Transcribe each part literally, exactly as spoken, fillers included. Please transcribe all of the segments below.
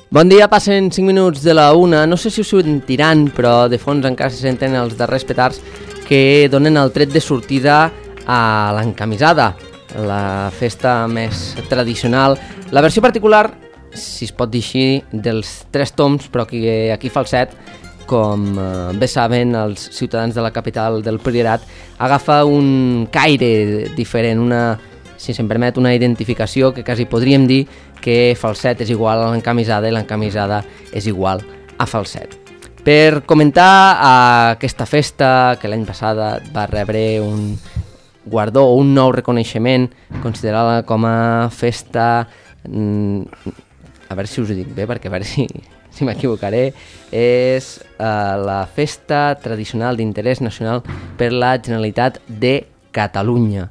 Bon dia, passen cinc minuts de la una. No sé si us sentiran, però de fons encara se senten els darrers petards que donen el tret de sortida a l'encamisada, la festa més tradicional, la versió particular, si es pot dir així, dels tres toms, però que aquí fa el set, com bé saben els ciutadans de la capital del Priorat, agafa un caire diferent, una, si se'm permet, una identificació que quasi podríem dir que falset és igual a l'encamisada i l'encamisada és igual a falset. Per comentar aquesta festa que l'any passat va rebre un guardó o un nou reconeixement, considerada com a festa, a veure si us ho dic bé perquè a veure si, si m'equivocaré, és uh, la festa tradicional d'interès nacional per la Generalitat de Catalunya.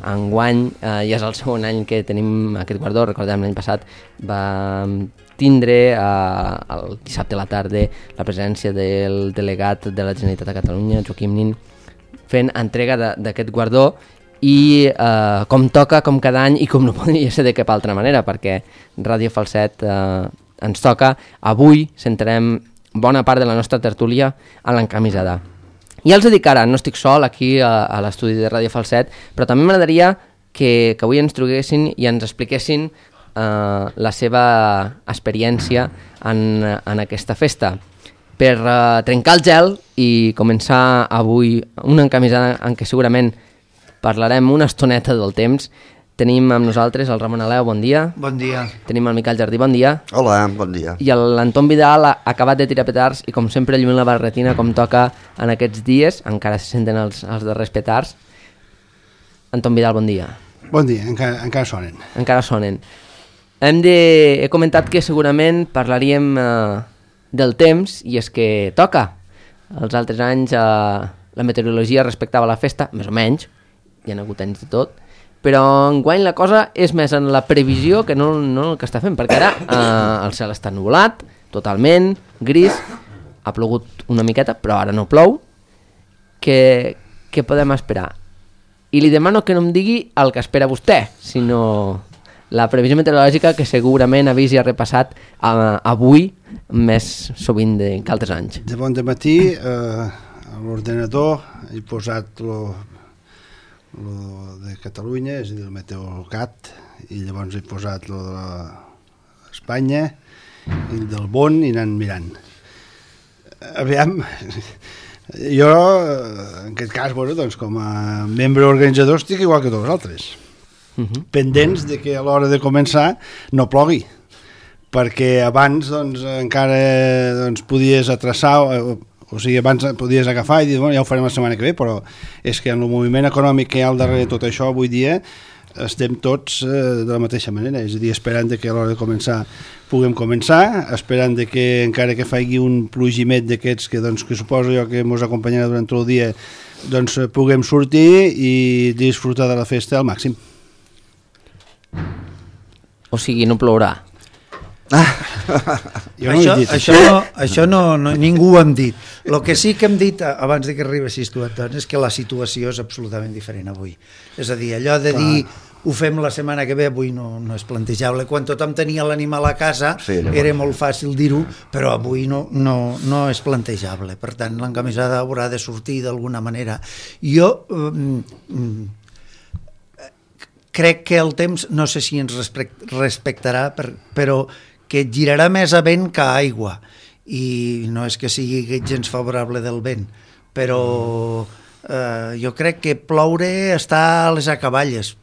Enguany eh, ja és el segon any que tenim aquest guardó. Recordem, l'any passat va tindre eh, el dissabte a la tarda la presència del delegat de la Generalitat de Catalunya, Joaquim Nin, fent entrega d'aquest guardó i eh, com toca, com cada any i com no podria ser de cap altra manera, perquè Ràdio Falset eh, ens toca. Avui centrem bona part de la nostra tertúlia a l'encamisada. I els dic ara, no estic sol aquí a, a l'estudi de Ràdio Falset, però també m'agradaria que, que avui ens truquessin i ens expliquessin eh, la seva experiència en, en aquesta festa. Per eh, trencar el gel i començar avui una encamisada en què segurament parlarem una estoneta del temps, tenim amb nosaltres el Ramon Aleu, bon dia. Bon dia. Tenim el Miquel Jardí, bon dia. Hola, bon dia. I l'Anton Vidal ha acabat de tirar petards i com sempre lluint la barretina com toca en aquests dies, encara se senten els, els darrers petards. Anton Vidal, bon dia. Bon dia, encara, encara sonen. Encara sonen. Hem de, he comentat que segurament parlaríem eh, del temps i és que toca. Els altres anys eh, la meteorologia respectava la festa, més o menys, hi ha hagut anys de tot, però enguany la cosa és més en la previsió que no, no el que està fent, perquè ara eh, el cel està nuvolat, totalment, gris, ha plogut una miqueta, però ara no plou. Què, què podem esperar? I li demano que no em digui el que espera vostè, sinó la previsió meteorològica que segurament ha vist i ha repassat eh, avui més sovint de, que altres anys. De bon dematí eh, a l'ordenador he posat lo, lo de Catalunya, és a dir, el Meteorcat, i llavors he posat lo de l'Espanya i el del Bon i anant mirant. Aviam, jo en aquest cas, bueno, doncs, com a membre organitzador estic igual que tots els altres, uh-huh. pendents de que a l'hora de començar no plogui, perquè abans doncs, encara doncs, podies atraçar, o, o sigui, abans podies agafar i dir, bueno, ja ho farem la setmana que ve, però és que en el moviment econòmic que hi ha al darrere de tot això avui dia estem tots eh, de la mateixa manera, és a dir, esperant de que a l'hora de començar puguem començar, esperant de que encara que faci un plogimet d'aquests que, doncs, que suposo jo que ens acompanyarà durant tot el dia, doncs puguem sortir i disfrutar de la festa al màxim. O sigui, no plourà. Ah. Jo no això, he dit això, no, això no, no, ningú ho hem dit. El que sí que hem dit abans de que arribessis tu, Antoni, és que la situació és absolutament diferent avui. És a dir, allò de dir ho fem la setmana que ve avui no, no és plantejable. Quan tothom tenia l'animal a casa sí, era molt fàcil dir-ho, però avui no, no, no és plantejable. Per tant, l'encamisada haurà de sortir d'alguna manera. Jo mm, crec que el temps, no sé si ens respectarà, però que girarà més a vent que a aigua, i no és que sigui gens favorable del vent, però eh, jo crec que ploure està a les acaballes.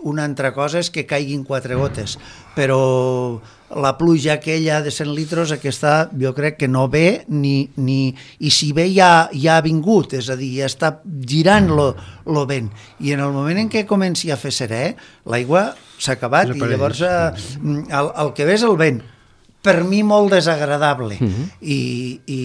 Una altra cosa és que caiguin quatre gotes, però la pluja aquella de cent litres, aquesta jo crec que no ve, ni, ni, i si ve ja, ja ha vingut, és a dir, ja està girant lo, lo vent, i en el moment en què comenci a fer serè, l'aigua s'ha acabat, i llavors eh, el, el que ve és el vent, per mi molt desagradable Uh -huh. i, i,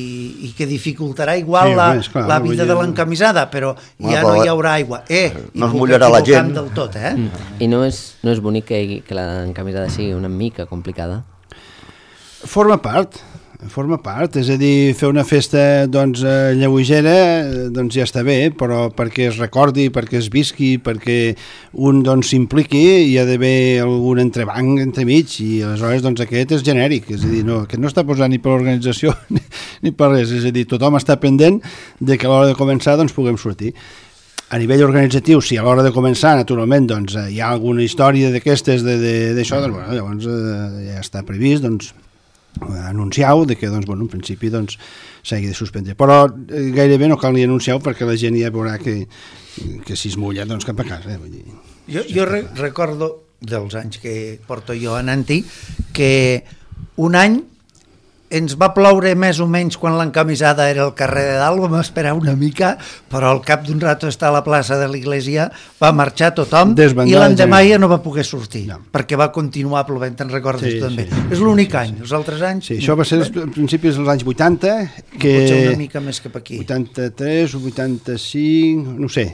i que dificultarà igual Sí, la, home, esclar, la vull vida dir- de l'encamisada, però Bueno, ja però no hi haurà aigua. Eh, i no es puc mullarà la equivocar-me gent. del tot, eh? Mm. I no és, no és bonic que, que l'encamisada sigui una mica complicada? Forma part, forma part, és a dir, fer una festa doncs, eh, lleugera doncs ja està bé, però perquè es recordi, perquè es visqui, perquè un doncs s'impliqui, hi ha d'haver algun entrebanc entremig i aleshores doncs aquest és genèric, és a dir, no, aquest no està posat ni per l'organització ni, ni per res, és a dir, tothom està pendent de que a l'hora de començar doncs puguem sortir. A nivell organitzatiu, si a l'hora de començar, naturalment, doncs, hi ha alguna història d'aquestes d'això, doncs, bueno, llavors eh, ja està previst, doncs, anunciau de que, doncs, bueno, en principi doncs, s'hagi de suspendre. Però eh, gairebé no cal ni anunciau perquè la gent ja veurà que, que si es mulla, doncs cap a casa. Eh? Vull dir, Jo, jo re recordo dels anys que porto jo anant-hi que un any ens va ploure més o menys quan l'encamisada era al carrer de dalt, vam esperar una mica, però al cap d'un rato estar a la plaça de l'església va marxar tothom Desbandats, i l'endemà ja. ja no va poder sortir, No. perquè va continuar plovent, te'n recordes Sí, també. sí. És l'únic any, els altres anys... sí, això va ser als principis dels anys vuitanta, Potser una que mica més cap aquí. vuitanta-tres o vuitanta-cinc, no ho sé,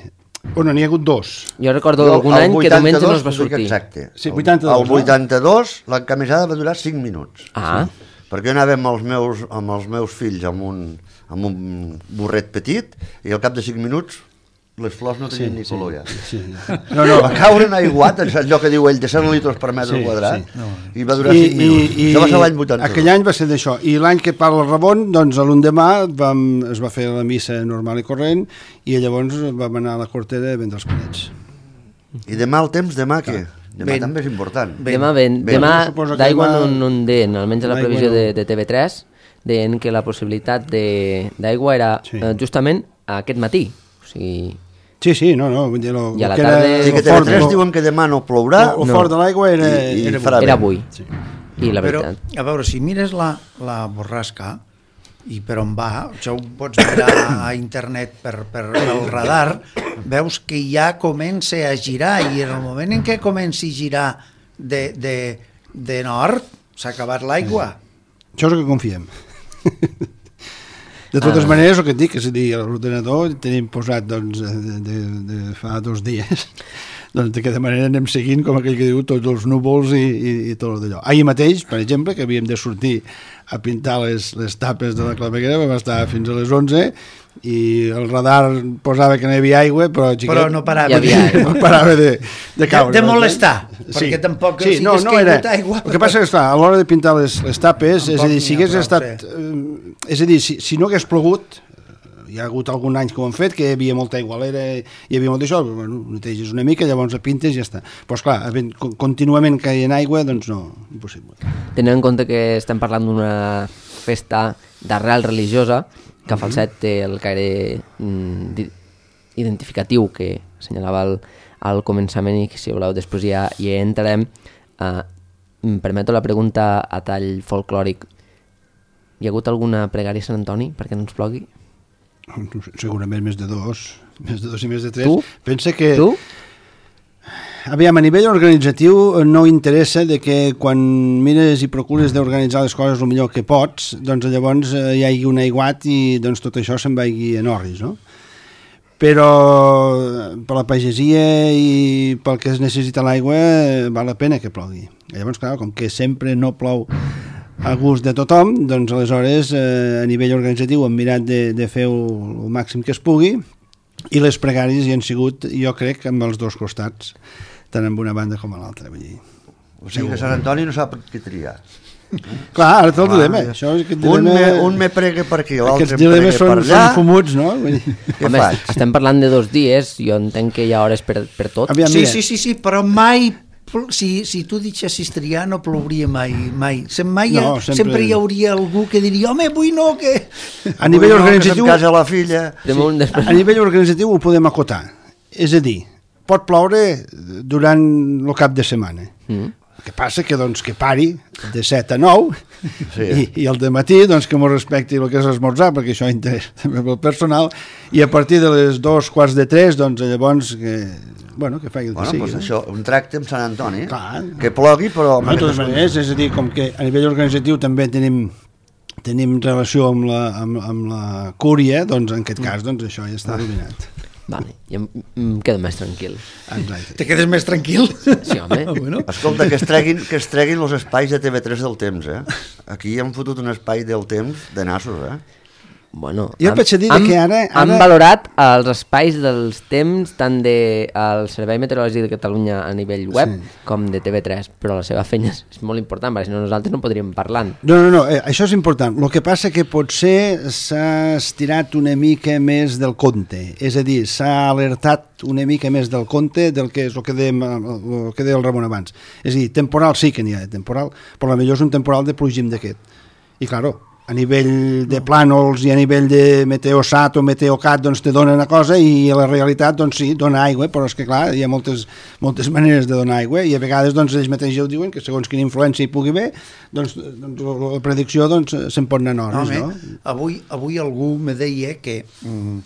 bueno, n'hi ha hagut dos. Jo recordo Jo, algun el any que diumenge no es va vuitanta-dos, t'ho dic sortir. Exacte. Sí, vuitanta-dos, El no? vuitanta-dos, l'encamisada va durar cinc minuts. Ah, Perquè jo anava amb els meus, amb els meus fills amb un, amb un burret petit i al cap de cinc minuts les flors no tenien ni color ja. Sí. No, no, Va caure en aiguat, en allò que diu ell, de set litres per metre Sí, quadrat, sí. i va durar cinc minuts. Això va ser l'any vuitanta-dos. Aquell any va ser d'això. I l'any que parla el Ramon, doncs l'endemà vam, es va fer la missa normal i corrent i llavors vam anar a la Cortera a vendre els panets. I demà el temps, demà què? Demà Vent. també és important. Vent. demà vent. Vent. Demà Suposo que d'aigua demà- no, no en deien, almenys a la D'aigua previsió no. de, de T V tres, deien que la possibilitat de- d'aigua era Sí. eh, justament aquest matí. O sigui, Sí, sí, no, no. Vull dir, lo, I a la que tarda- era, Sí, que lo T V fort, tres lo- diuen que demà no plourà, lo No. fort de l'aigua era, I- i era, farà era vent. avui. Sí. I la Però, veritat... a veure, si mires la, la borrasca i per on va, això ho pots mirar a internet per, per el radar, veus que ja comença a girar i en el moment en què comenci a girar de, de, de nord s'ha acabat l'aigua. Això és el que confiem. De totes Ah. maneres, el que et dic, és a dir, a l'ordenador tenim posat doncs, de, de, de fa dos dies, doncs d'aquesta manera anem seguint, com aquell que diu, tots els núvols i, i, i tot d'allò. Ahir mateix, per exemple, que havíem de sortir a pintar les, les tapes de la claveguera, vam estar fins a les onze i el radar posava que no hi havia aigua, però, xiquet, Però no parava. Hi havia aigua. no parava de, de caure. De- de molestar, perquè tampoc si hagués caigut aigua. El que passa és que, clar, a l'hora de pintar les, les tapes, és a dir, si Tampoc hagués n'hi ha prou, estat... Eh, és a dir, si, si no hagués plogut, hi ha hagut algun any que ho han fet, que hi havia molta aigua a l'era, hi havia molt d'això, bueno, neteges una mica, llavors la pintes i ja està. Però, esclar, havent con- contínuament caient aigua, doncs no, impossible. Tenint en compte que estem parlant d'una festa d'arrel religiosa, que Falset té el caire mm, di- identificatiu que assenyalava al, al començament i que, si voleu, després ja hi entrarem. Uh, em permeto la pregunta a tall folclòric. Hi ha hagut alguna pregària a Sant Antoni perquè no ens plogui? Segurament més de dos, més de dos i més de tres. Tu? Pensa que... Tu? Aviam, a nivell organitzatiu no interessa de que quan mires i procures d'organitzar les coses el millor que pots, doncs llavors eh, hi hagi un aiguat i doncs tot això se'n vagi en orris, no? Però per la pagesia i pel que es necessita l'aigua eh, val la pena que plogui. Llavors, clar, com que sempre no plou a gust de tothom, doncs aleshores eh, a nivell organitzatiu hem mirat de, de fer el, el màxim que es pugui i les pregàries hi han sigut, jo crec, amb els dos costats, tant en una banda com a l'altra. Vull dir. O sigui que Sant Antoni no sap què triar. Clar, ara té el dilema. Això és aquest Un dilema... me, un me prega per aquí, l'altre Aquests em prega dilemes per són, allà. són fumuts, no? Vull dir. Què Home, faig? estem parlant de dos dies, jo entenc que hi ha hores per, per tot. Aviam, Sí, mira, sí, sí, sí, però mai pl- si, si tu deixessis triar no plouria mai, mai. Sem mai No, no, sempre- sempre... sempre hi hauria algú que diria home, avui no, que... a nivell Avui no, que organitzatiu... se'm casa la filla. De moment, després... A nivell organitzatiu ho podem acotar. És a dir, pot ploure durant el cap de setmana. Mm. El que passa que, doncs, que pari de set a nou sí. i, i el dematí doncs, que m'ho respecti el que és esmorzar, perquè això interessa també pel personal, i a partir de les dos quarts de tres, doncs llavors que, bueno, que faci el que bueno, sigui. Pues no? això, un tracte amb Sant Antoni, Clar. que plogui, però... No, de totes maneres, és a dir, com que a nivell organitzatiu també tenim tenim relació amb la, amb, amb la cúria, doncs en aquest cas doncs, això ja està dominat. Vale, i em, em quedo més tranquil. Exacte. Te quedes més tranquil? Sí, home. Ah, bueno. Escolta, que es treguin, que es treguin els espais de T V tres del temps, eh? Aquí hem fotut un espai del temps de nassos, eh? Bueno, Jo han, vaig a dir han, que ara- ara- han valorat els espais dels temps tant del de, Servei Meteorològic de Catalunya a nivell web Sí. com de T V tres, però la seva feina és, és molt important, perquè si no nosaltres no podríem parlar. No, no, no, eh, això és important. El que passa que potser s'ha estirat una mica més del compte, és a dir, s'ha alertat una mica més del compte del que és el que dèiem, el que deia el Ramon abans. És a dir, temporal sí que n'hi ha de temporal, però potser és un temporal de plugim d'aquest. I, claro, a nivell de plànols i a nivell de meteosat o meteocat doncs te dona una cosa i a la realitat doncs sí, dona aigua, però és que clar, hi ha moltes, moltes maneres de donar aigua i a vegades doncs ells mateixos ja ho diuen que segons quina influència hi pugui haver doncs, doncs la predicció doncs se'n pot anar en hores, no? no? Avui, avui algú me deia que mm,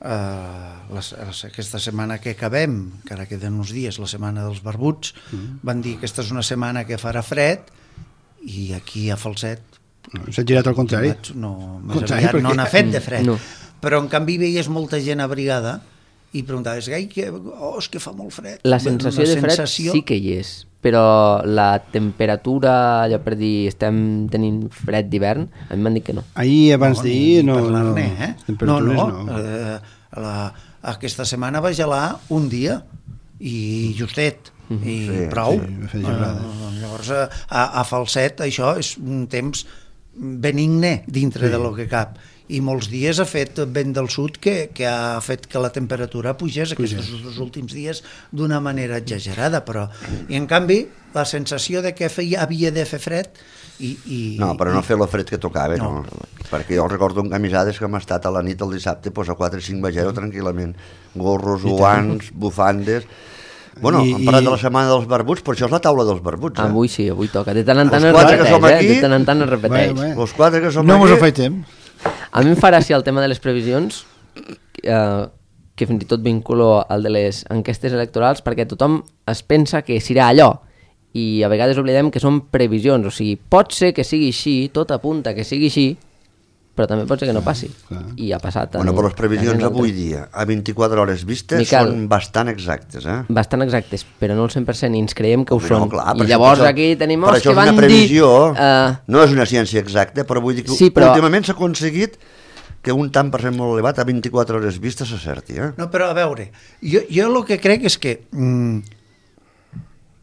uh, les, les, aquesta setmana que acabem, que ara queden uns dies, la setmana dels barbuts, mm. van dir que aquesta és una setmana que farà fred i aquí a Falset S'ha girat al contrari. no, més Contrari, aviat no perquè- n'ha fet de fred, No. però en canvi veies molta gent abrigada i preguntaves, gai, que, oh, és que fa molt fred. La sensació Una de fred sensació- sí que hi és, però la temperatura, allò per dir, estem tenint fred d'hivern, a mi m'han dit que no. Ahir abans No, d'ahir ni no, no, parlar-ne, eh? les temperatures no, no. no. Eh, la, aquesta setmana va gelar un dia i justet i Sí, prou. sí, va fer gelada. Eh, llavors a, a Falset això és un temps benigne dintre sí. de lo que cap i molts dies ha fet vent del sud que, que ha fet que la temperatura pugés aquests dos últims dies d'una manera exagerada, però i en canvi la sensació de que feia, havia de fer fred i, i, No, però no i, fer el fred que tocava, no. No. Perquè jo recordo en camisades que hem estat a la nit el dissabte pues, a quatre o cinc vegero tranquil·lament. Gorros, guants, bufandes... Bueno, I- hem parlat i- de la setmana dels barbuts, però això és la taula dels barbuts, eh? Avui sí, avui toca. De tant en tant Els es quatre que som repeteix, aquí- eh? De tant en tant es repeteix. Bé, bé. Els quatre que som No mos ho aquí... faig temps. A mi em fa gràcia el tema de les previsions, eh, que fins i tot vinculo al de les enquestes electorals, perquè tothom es pensa que serà allò, i a vegades oblidem que són previsions, o sigui, pot ser que sigui així, tot apunta que sigui així, però també pot ser que no passi. clar. I ha passat. Bueno, en- però les previsions en avui altres- dia, a vint-i-quatre hores vistes, Miquel. són bastant exactes, eh? Bastant exactes, però no el cent per cent, i ens creiem que ho Home, són. no, clar, per I això- llavors per això- aquí tenim per els això que és van una previsió, dir... eh, no és una ciència exacta, però vull dir que Sí, però- últimament s'ha aconseguit que un tant per cent molt elevat a vint-i-quatre hores vistes s'acerti, eh? No, però a veure, jo, jo el que crec és que mm,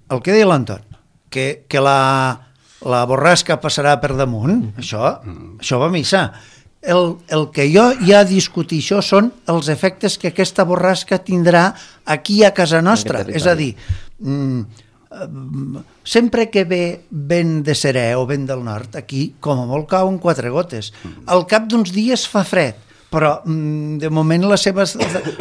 el que deia l'Anton, que, que la, la borrasca passarà per damunt, això, això va a missa. El, el que jo ja discutir això són els efectes que aquesta borrasca tindrà aquí a casa nostra. En aquest És a dir, mm, eh, sempre que ve vent de serè o vent del nord, aquí com a molt cauen quatre gotes. Al cap d'uns dies fa fred, però mm, de moment la seva,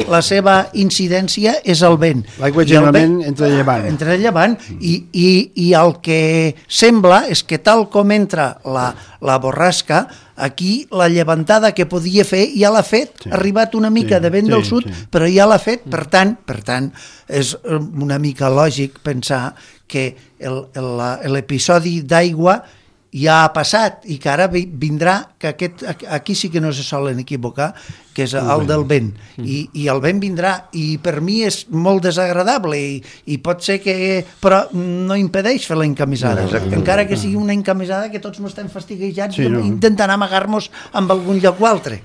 la seva incidència és el vent. L'aigua I el generalment vent- entra llevant. Entra llevant i, i, i el que sembla és que tal com entra la, la borrasca, aquí la llevantada que podia fer ja l'ha fet, Sí. ha arribat una mica Sí, de vent sí, del sud, sí. però ja l'ha fet, per tant, per tant, és una mica lògic pensar que el- el- l'episodi d'aigua ja ha passat i que ara vi- vindrà, que aquest, aquí sí que no se solen equivocar, que és el del vent. I, i el vent vindrà, i per mi és molt desagradable, i, i pot ser que... però no impedeix fer la encamisada. No, Encara que sigui una encamisada que tots no estem fastiguejats Sí, sí, no. intentant amagar-nos amb algun lloc o altre.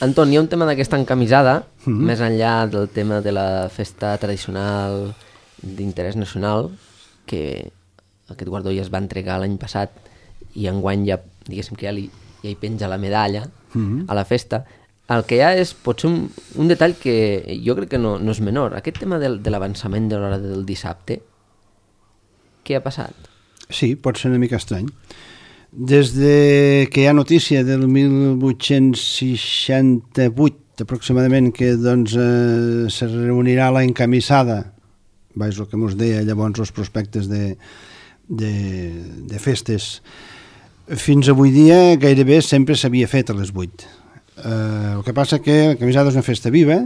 Anton, hi ha un tema d'aquesta encamisada, mm -hmm. més enllà del tema de la festa tradicional d'interès nacional, que aquest guardó ja es va entregar l'any passat i enguany ja, diguéssim que ja, li, ja hi penja la medalla mm -hmm. a la festa. El que hi ha és potser un, un detall que jo crec que no, no és menor. Aquest tema del, de l'avançament de l'hora del dissabte, què ha passat? Sí, pot ser una mica estrany. Des de que hi ha notícia del mil vuit-cents seixanta-vuit aproximadament que doncs, eh, se reunirà la encamisada vaig el que mos deia llavors els prospectes de, de, de festes. Fins avui dia gairebé sempre s'havia fet a les vuit. Eh, el que passa que la camisada és una festa viva,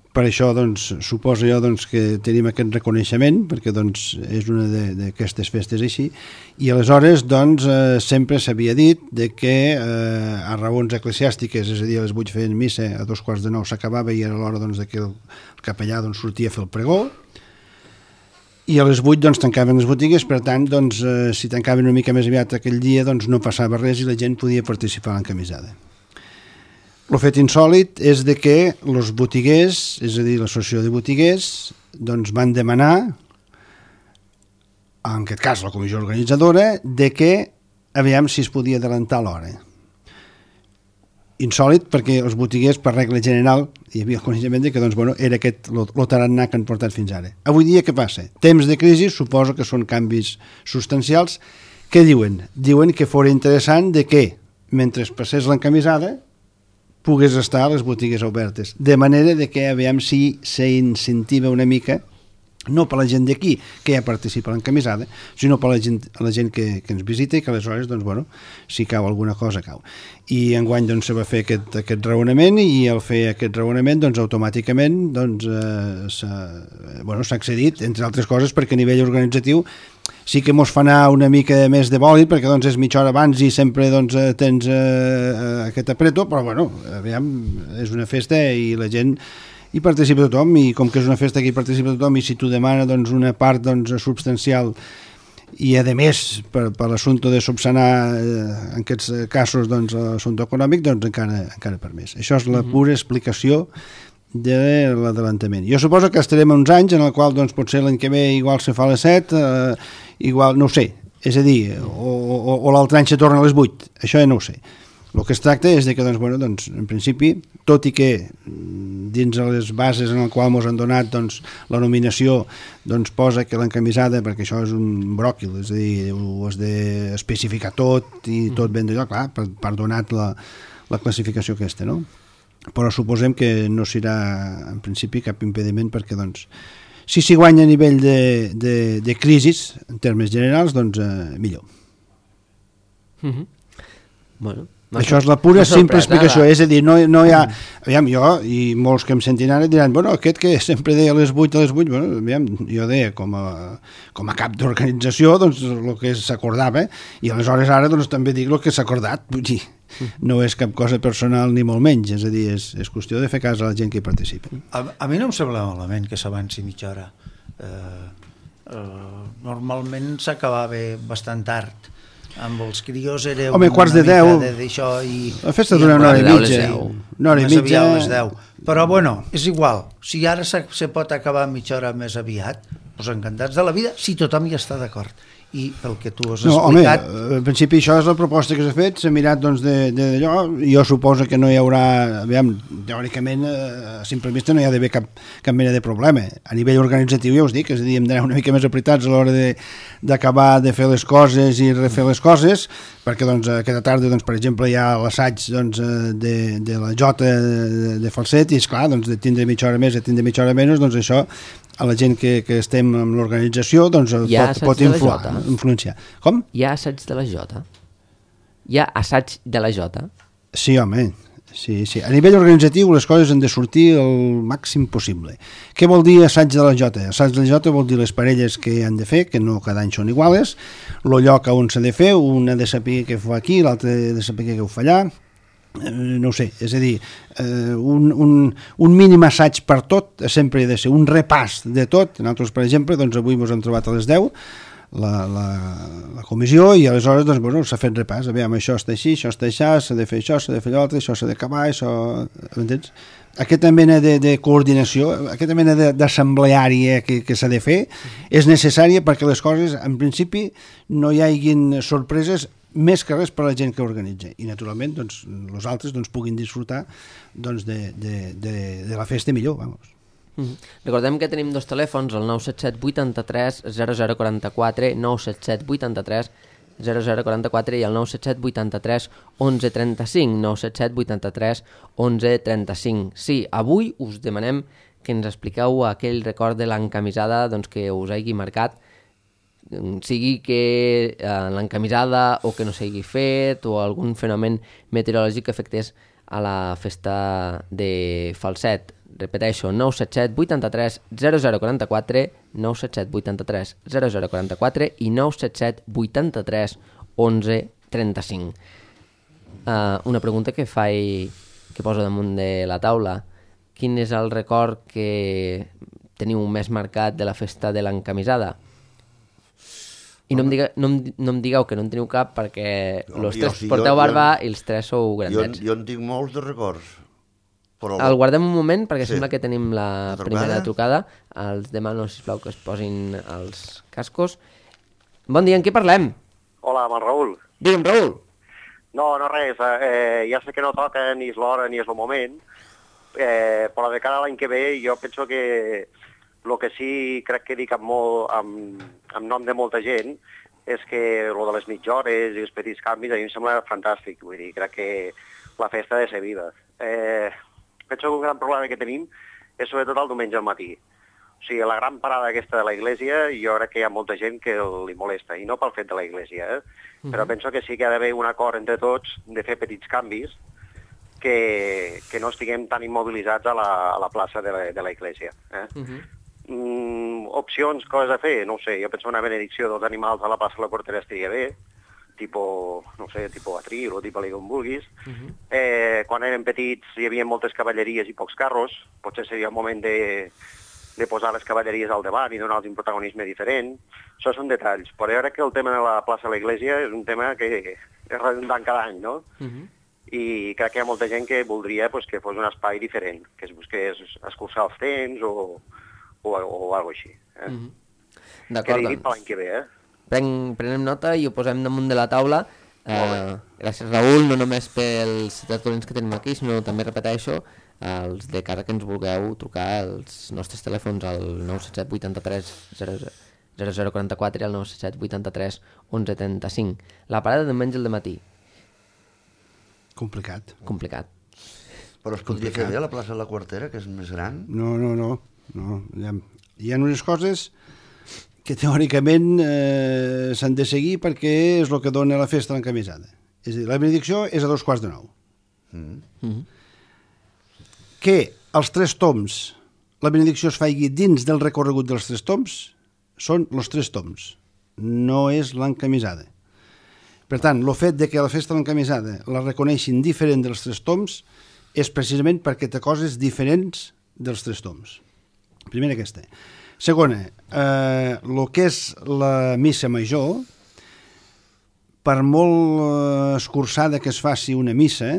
per això doncs, suposo jo doncs, que tenim aquest reconeixement, perquè doncs, és una d'aquestes festes així, i aleshores doncs, eh, sempre s'havia dit de que eh, a raons eclesiàstiques, és a dir, a les vuit feien missa, a dos quarts de nou s'acabava i era l'hora doncs, de que el capellà doncs, sortia a fer el pregó, i a les vuit doncs, tancaven les botigues, per tant, doncs, eh, si tancaven una mica més aviat aquell dia, doncs, no passava res i la gent podia participar en l'encamisada. El fet insòlit és de que els botiguers, és a dir, l'associació de botiguers, doncs, van demanar, en aquest cas la comissió organitzadora, de que aviam si es podia adelantar l'hora. Insòlit perquè els botiguers, per regla general, hi havia el coneixement de que doncs, bueno, era aquest el tarannà que han portat fins ara. Avui dia què passa? Temps de crisi, suposo que són canvis substancials. Què diuen? Diuen que fos interessant de que, mentre passés l'encamisada, pogués estar a les botigues obertes. De manera de que, aviam si s'incentiva una mica, no per la gent d'aquí que ja participa a l'encamisada, sinó per la gent, la gent que, que ens visita i que aleshores, doncs, bueno, si cau alguna cosa, cau. I enguany doncs, se va fer aquest, aquest raonament i al fer aquest raonament, doncs, automàticament doncs, eh, s'ha bueno, s'ha accedit, entre altres coses, perquè a nivell organitzatiu sí que mos fa anar una mica més de bòlit, perquè doncs, és mitja hora abans i sempre doncs, tens eh, aquest apreto, però bueno, aviam, és una festa i la gent hi participa tothom, i com que és una festa que hi participa tothom, i si tu demana doncs, una part doncs, substancial i a més per, per l'assumpte de subsanar eh, en aquests casos doncs, l'assumpte econòmic, doncs encara, encara per més. Això és la pura explicació de l'adelantament. Jo suposo que estarem uns anys en el qual doncs, potser l'any que ve igual se fa a les set, eh, igual, no ho sé, és a dir, o, o, o l'altre any se torna a les vuit, això ja no ho sé. El que es tracta és de que, doncs, bueno, doncs, en principi, tot i que dins de les bases en el qual ens han donat doncs, la nominació doncs, posa que l'encamisada, perquè això és un bròquil, és a dir, ho has d'especificar tot i tot ben d'allò, clar, per, per donar la, la classificació aquesta, no? Però suposem que no serà, en principi, cap impediment perquè, doncs, si s'hi guanya a nivell de, de, de crisis, en termes generals, doncs, eh, millor. Mm-hmm. Bueno, això és la pura simple explicació, és a dir, no, no hi ha... Aviam, jo, i molts que em sentin ara diran, bueno, aquest que sempre deia a les vuit, a les vuit, bueno, aviam, jo deia com a, com a cap d'organització, doncs, el que s'acordava, i aleshores ara, doncs, també dic el que s'ha acordat, vull dir, no és cap cosa personal ni molt menys, és a dir, és, és qüestió de fer cas a la gent que hi participa. A, a mi no em sembla malament que s'avanci mitja hora. Eh, eh, normalment s'acabava bastant tard. Amb els crios era Home, una quarts de mica deu. de d'això i... La festa dura una hora i mitja. Una hora i mitja. A les deu. Però bueno, és igual. Si ara se, se pot acabar mitja hora més aviat, doncs encantats de la vida, si tothom hi està d'acord. I pel que tu has no, explicat... Home, en principi això és la proposta que s'ha fet, s'ha mirat doncs d'allò, jo suposo que no hi haurà, aviam, teòricament, a simple vista no hi ha d'haver cap, cap mena de problema. A nivell organitzatiu ja us dic, és a dir, hem d'anar una mica més apretats a l'hora d'acabar de, de fer les coses i refer les coses, perquè doncs, aquesta tarda, doncs, per exemple, hi ha l'assaig doncs, de, de la jota de, de falset, i esclar, doncs, de tindre mitja hora més a tindre mitja hora menys, doncs això a la gent que, que estem en l'organització doncs pot, pot influar, influenciar. Com? Hi ha assaig de la Jota? Hi ha assaig de la Jota? Sí, home. Sí, sí. A nivell organitzatiu les coses han de sortir el màxim possible. Què vol dir assaig de la Jota? Assaig de la Jota vol dir les parelles que han de fer, que no cada any són iguales, el lloc on s'ha de fer, un ha de saber què fa aquí, l'altre ha de saber què ho fa allà, no ho sé, és a dir, eh, un, un, un mínim assaig per tot sempre ha de ser un repàs de tot. Nosaltres, per exemple, doncs avui ens hem trobat a les deu la, la, la comissió i aleshores doncs, bueno, s'ha fet repàs, aviam, això està així, això està així, s'ha de fer això, s'ha de fer l'altre, això s'ha d'acabar, això... M'entens? Aquesta mena de, de coordinació, aquesta mena d'assembleària que, que s'ha de fer és necessària perquè les coses, en principi, no hi haguin sorpreses més que res per a la gent que organitza i naturalment doncs, els altres doncs, puguin disfrutar doncs, de, de, de, de la festa millor, vamos. Mm-hmm. Recordem que tenim dos telèfons, el nou set set vuitanta-tres zero zero quaranta-quatre, nou set set vuitanta-tres zero zero quaranta-quatre i el nou set set vuitanta-tres onze trenta-cinc, nou set set vuitanta-tres onze trenta-cinc. Sí, avui us demanem que ens expliqueu aquell record de l'encamisada doncs, que us hagi marcat, sigui que eh, l'encamisada o que no s'hagi fet o algun fenomen meteorològic que afectés a la festa de Falset. Repeteixo, nou set set vuitanta-tres zero zero quaranta-quatre, nou set set vuitanta-tres zero zero quaranta-quatre i nou set set vuitanta-tres onze trenta-cinc. Uh, una pregunta que faig, que poso damunt de la taula. Quin és el record que teniu més marcat de la festa de l'encamisada? I no em, diga, no, em, no em digueu que no en teniu cap perquè els tres sí, porteu jo, barba jo, i els tres sou grandets. Jo, jo en tinc molts de records. Però... El guardem un moment perquè sí. sembla que tenim la, la trucada? primera trucada. Els demano, sisplau, que es posin els cascos. Bon dia, en què parlem? Hola, amb el Raül. Digue'm, Raül. No, no res, eh, ja sé que no toca ni és l'hora ni és el moment, eh, però de cara a l'any que ve jo penso que el que sí crec que dic amb, molt, amb, amb nom de molta gent és que el de les mitjores i els petits canvis a mi em sembla fantàstic, vull dir, crec que la festa ha de ser viva. Eh, penso que un gran problema que tenim és sobretot el diumenge al matí. O sigui, la gran parada aquesta de la iglesia, jo crec que hi ha molta gent que li molesta, i no pel fet de la iglesia, eh? Uh-huh. Però penso que sí que ha d'haver un acord entre tots de fer petits canvis que, que no estiguem tan immobilitzats a la, a la plaça de la, de la iglesia. Eh? Uh-huh. Mm, opcions, coses a fer, no ho sé, jo penso una benedicció dels animals a la plaça de la Portera estaria bé, tipo, no sé, tipo atril o tipo com vulguis. Uh-huh. Eh, quan érem petits hi havia moltes cavalleries i pocs carros, potser seria el moment de, de posar les cavalleries al davant i donar-los un protagonisme diferent. Això són detalls, però jo crec que el tema de la plaça de l'església és un tema que és redundant cada any, no? Uh-huh. I crec que hi ha molta gent que voldria pues, que fos un espai diferent, que es busqués escurçar els temps o, o, o alguna cosa així. Eh? Uh-huh. D'acord, doncs. Per l'any que ve, eh? Pren, prenem nota i ho posem damunt de la taula. Eh, gràcies, Raül, no només pels tertulians que tenim aquí, sinó també repeteixo els de casa que ens vulgueu trucar als nostres telèfons al nou set set vuitanta-tres zero zero quaranta-quatre i al nou set set vuitanta-tres onze trenta-cinc. La parada de diumenge al dematí. Complicat. Complicat. Però es podria fer bé a la plaça de la Quartera, que és més gran? No, no, no. no. Hi, ha, hi ha unes coses que teòricament eh, s'han de seguir perquè és el que dona la festa l'encamisada. És a dir, la benedicció és a dos quarts de nou. Mm. Mm-hmm. Que els tres toms, la benedicció es faci dins del recorregut dels tres toms, són els tres toms, no és l'encamisada. Per tant, el fet de que la festa l'encamisada la reconeixin diferent dels tres toms és precisament perquè té coses diferents dels tres toms. Primera aquesta. Segona, eh, el que és la missa major, per molt escurçada que es faci una missa,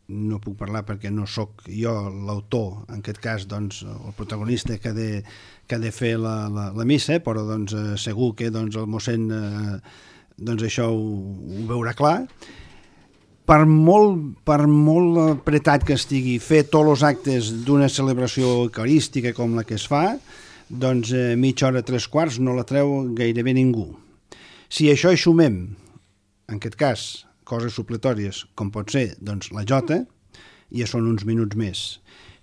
no puc parlar perquè no sóc jo l'autor, en aquest cas doncs, el protagonista que ha de, que ha de fer la, la, la missa, però doncs, segur que doncs, el mossèn eh, doncs, això ho, ho veurà clar. Per molt, per molt apretat que estigui fer tots els actes d'una celebració eucarística com la que es fa, doncs eh, mitja hora, tres quarts, no la treu gairebé ningú. Si això hi sumem, en aquest cas, coses supletòries, com pot ser doncs, la jota, ja són uns minuts més.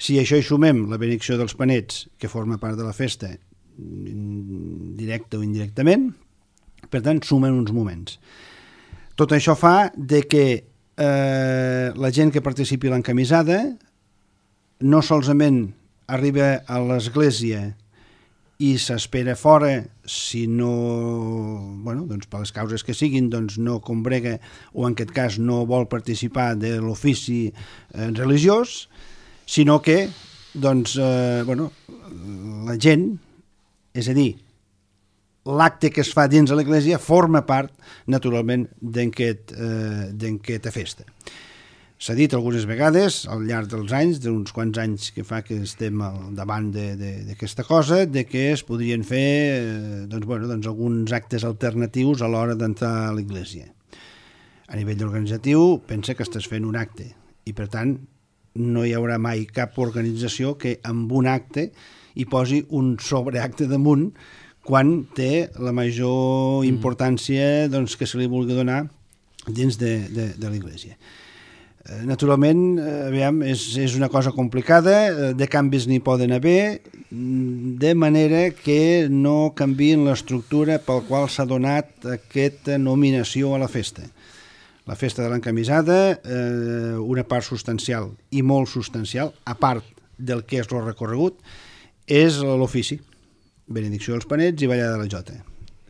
Si això hi sumem la benedicció dels panets, que forma part de la festa, directe o indirectament, per tant, sumen uns moments. Tot això fa de que eh, la gent que participi a l'encamisada no solament arriba a l'església i s'espera fora, si no, bueno, doncs per les causes que siguin, doncs no combrega o en aquest cas no vol participar de l'ofici eh, religiós, sinó que doncs, eh, bueno, la gent, és a dir, l'acte que es fa dins de l'església forma part, naturalment, d'aquesta eh, festa. S'ha dit algunes vegades, al llarg dels anys, d'uns quants anys que fa que estem al davant d'aquesta cosa, de que es podrien fer eh, doncs, bueno, doncs alguns actes alternatius a l'hora d'entrar a l'església. A nivell organitzatiu, pensa que estàs fent un acte i, per tant, no hi haurà mai cap organització que amb un acte hi posi un sobreacte damunt quan té la major importància doncs, que se li vulgui donar dins de, de, de l'església. Naturalment, aviam, és, és una cosa complicada, de canvis n'hi poden haver, de manera que no canvien l'estructura pel qual s'ha donat aquesta nominació a la festa. La festa de l'encamisada, eh, una part substancial i molt substancial, a part del que és el recorregut, és l'ofici, benedicció dels panets i ballada de la jota.